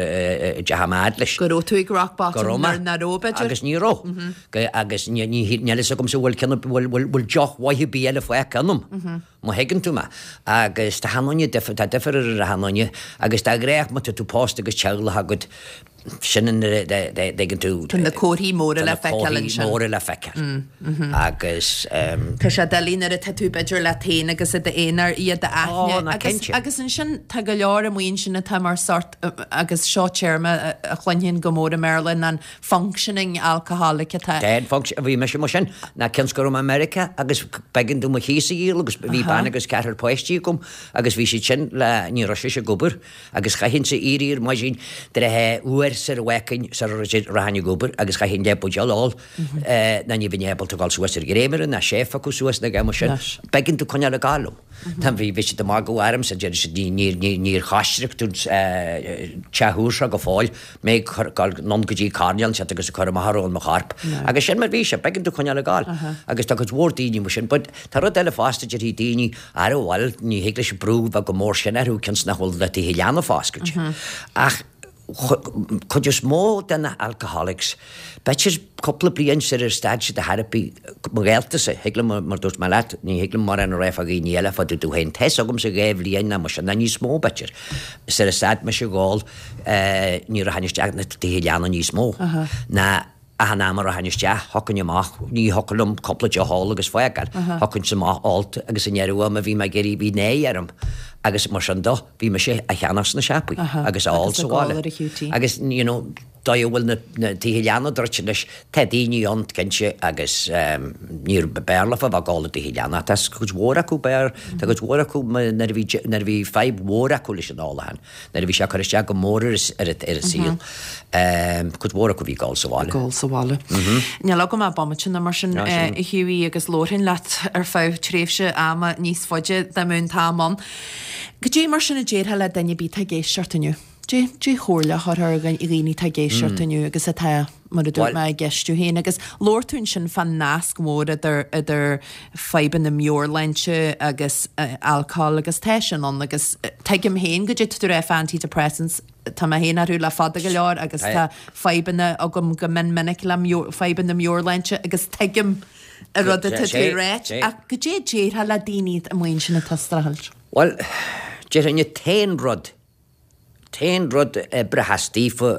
dteachaidh mé fhad leis. Go raibh tú ag rock bottom nuair nach raibh, b'fhéidir? Agus ní raibh. Agus níl fhios agamsa bhfuil ceann, bhfuil deoch mhaith ar bith eile fágtha ionam. Má thuigeann tú mé. Agus tá achan duine difir, tá difir ar achan duine agus de ghnáth má tá tú pósta agus teaghlach agat, Sin an dtuigeann tú. Tá na comharthaí móra le feiceáil ansin. Tá na comharthaí móra le feiceáil. Agus. Tá sé doiligh nuair atá tú b'fhéidir leat féin agus i d'aonar iad a aithne. Ó, ná cinnte. Agus ansin tá go leor amuigh ansin atá mar sort, agus seo téarma a chluinfinn go mór i mBéarla, ná an functioning alcoholic atá. Tá, function, bhí mise mar sin. Ná cionn is go raibh mé i Meiriceá agus b'éigean dom mo chíos a dhíol agus bhí bean agus ceathrar páistí agam agus bhí siad sin le, ní raibh sise ag obair. Agus chaithinnse éirí ar maidin de réir uair sar a bhfeicfinn sar a rachainn ag obair agus chaithfinn leath buidéal a ól ná ní bheinn ábalta dul suas ar dhréimire ná seif acu suas ná mar sin. B'éigean domh coinneáil ag gabháil liom. Tá bhí bhí siad ag magadh ormsa deir siad ní ní ní níor choisric tú an teach úr seo go fóill mé ag cur dul anonn go dtí coirnéal ansiúd agus ag cur amach a raibh in mo chorp. Agus sin mar bhí sé, b'éigean domh coinneáil ag gabháil. Agus tá cuid mhór daoine mar sin but tá rud eile fosta déarfaidh daoine Ara bhuel, ní thig leis an brú bheith chomh mór sin orthu cionn 's nach bhfuil na tithe leanbh foscailte. Ach cuid is mó de na alcoholics, b'fhéidir cúpla bliain sar ar stad siad an therapy, mo ghaoltasa, thig liom, mar dúirt mé leat, ní thig liom mórán a rá fá dhaoine eile, fá dtaobh domh féin. Tá 'fhios agamsa 2 bhliain ná mar sin, ná níos mó b'fhéidir, sar a stad mise ag ól, ní rachainn isteach na tithe leanbh níos mó ná Achan am a rachainn isteach, thiocfainn amach, ní thiocfadh liom cúpla deoch a ól agus fágáil, thiocfainnse amach ólta agus i ndeireadh ama bhí mé ag iarraidh, bhí náire orm agus mar sin do, bhí mise á cheannach sna siopaí agus á ól sa bhaile. Agus you know. dóigh a bhfuil na tithe leanna druidte anois, tá daoine ann cinnte agus níor b'fhearr leofa a bheith ag gabháil i dtithe leanna ach tá cuid mhór acu b'fhearr, tá cuid mhór acu nuair a bhí nuair a bhí fadhb mhór acu leis an ólachán, nuair a bhí sé ag cur isteach go mór ar ar a saol, cuid mhór acu a bhí ag gabháil sa bhaile. Ag gabháil sa bhaile. Níl agam ach bomaite nó mar sin a Hughie agus labharfainn leat ar feadh tréimhse ama níos faide dá mbeadh an t-am ann. Goidé mar sin a déarfá le duine ar bith atá ag éisteacht inniu? Cén chomhairle a thabharfá ar dhaoine atá ag éisteacht inniu agus atá, mar a dúirt mé, ag ceistiú féin? Agus labhair tú ansin fán nasc mór idir idir fadhbanna meabhairshláinte agus alcohol agus tá sin ann agus tuigim féin goidé tá tú ag rá fá antidepressants, tá mé féin orthu le fada go leor agus tá fadhbanna agam go mion minic le fadhbanna meabhairshláinte agus tuigim an rud atá tú ag ráit ach goidé a déarfá le daoine amuigh ansin atá ag streachailt? Bhuel, déarfainn an t-aon rud, t-aon rud a oibreochas daofa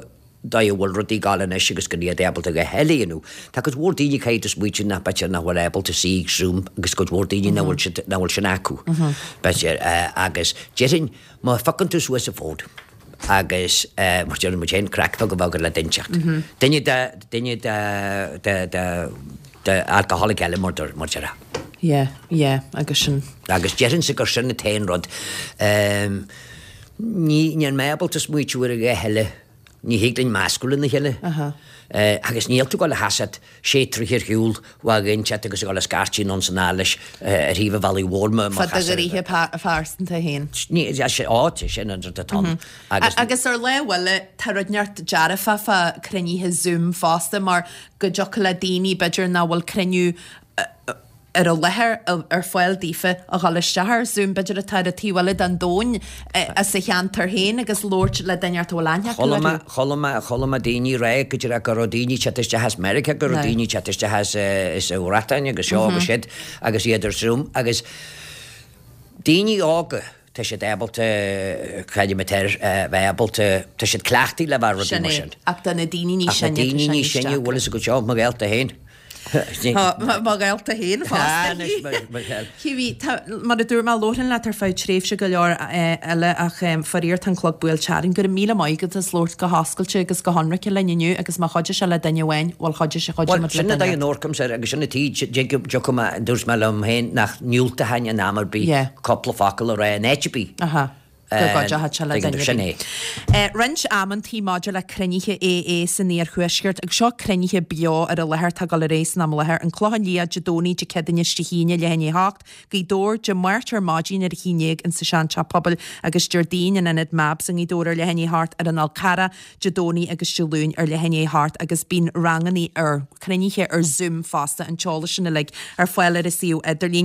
dóigh a bhfuil rudaí ag gabháil anois agus go iad ábalta a dhath eile a dhéanamh. Tá cuid mhór daoine caithfidh tú smaoitiú nach b'fhéidir nach bhfuil ábalta suí ag Zoom agus cuid mhór daoine nach bhfuil siad, nach bhfuil sin acu. B'fhéidir, agus déarfainn má phiocann tú suas an fón agus mar deireann muid féin craic bheag a bheith agat le duine inteacht. Duine de, duine de, de, de, de alcoholic eile mar mar déarfá. Yeah, yeah, agus sin. Agus déarfainnse gur sin an t-aon rud. Ní, níl mé ábalta smaoitiú ar a dhath eile. Ní thig linn meascadh lena chéile. Agus níl tú ag dul a sheasamh sé troithe ar shiúl ó dhuine inteacht agus ag dul a scairtigh anonn 's anall leis ar thaobh an bhealaigh mhóir má Fá do ghnoithe pearsanta féin. Ní, á, sin an rud atá ann. Agus. Agus ar lámh eile, tá rud inteacht dearfach fá cruinnithe Zoom fosta mar go dtiocfadh le daoine b'fhéidir nach bhfuil cruinniú ar an láthair ar fáil daofa a dhul isteach ar Zoom, b'fhéidir atá ar an taobh eile den domhan as a cheantar féin agus labhairt le duine inteacht a bhfuil aithne acu orthu. Chuala mé, chuala mé daoine ag rá go díreach go raibh daoine ag teacht isteach as Meiriceá, go raibh daoine ag teacht isteach as as an Bhreatain agus seo agus siúd agus iad ar Zoom agus daoine óga, tá siad ábalta, creidim atá bheith ábalta, tá siad cleachtaithe le bheith rudaí mar sin. Sin é, ach do na daoine níos sine, tá sé níos deacra. Ach na daoine níos sine, bhfuil fhios agat seo, mo ghaolta féin. Mo ghaolta féin fosta. Hughie, tá, mar a dúirt mé, labharfainn leat ar feadh tréimhse go leor eile ach faraor tá an clog buailte orainn. Go raibh míle maith agat as labhairt go hoscailte agus go hionraice linn inniu agus má chuidigh sé le duine amháin, bhuel chuidigh sé, chuidigh Bhuel, muid le sin an duine dóigh a n-amharcaimse air agus sin an tuige dtiocfaidh mé, dúirt mé liom féin nach ndiúltóchainn in am ar bith cúpla focal a rá in áit ar bith. Aha. Go gcuideochadh sé le Tuigeann duine tú, ar sin bith. é. Roinnt amantaí maidir le cruinnithe AA san iarthuaisceart, agus seo cruinnithe beo ar an láthair atá ag dul ar aghaidh san am i láthair, An Clochán Liath Dé Domhnaigh Dé Céadaoine is Dé hAoine leath i ndiaidh a hocht, Gaoth Dobhair, Dé Máirt ar maidin ar a haon déag insa seanteach pobail agus Déardaoin in Ionad Mabs i nGaoth Dobhair ar leath i ndiaidh a hocht, ar an Fhál Carrach Dé Domhnaigh agus Dé Luain ar leath i ndiaidh a hocht agus bíonn rangannaí ar, cruinnithe ar Zoom fosta, an t-eolas sin uilig ar fáil ar an suíomh idirlín.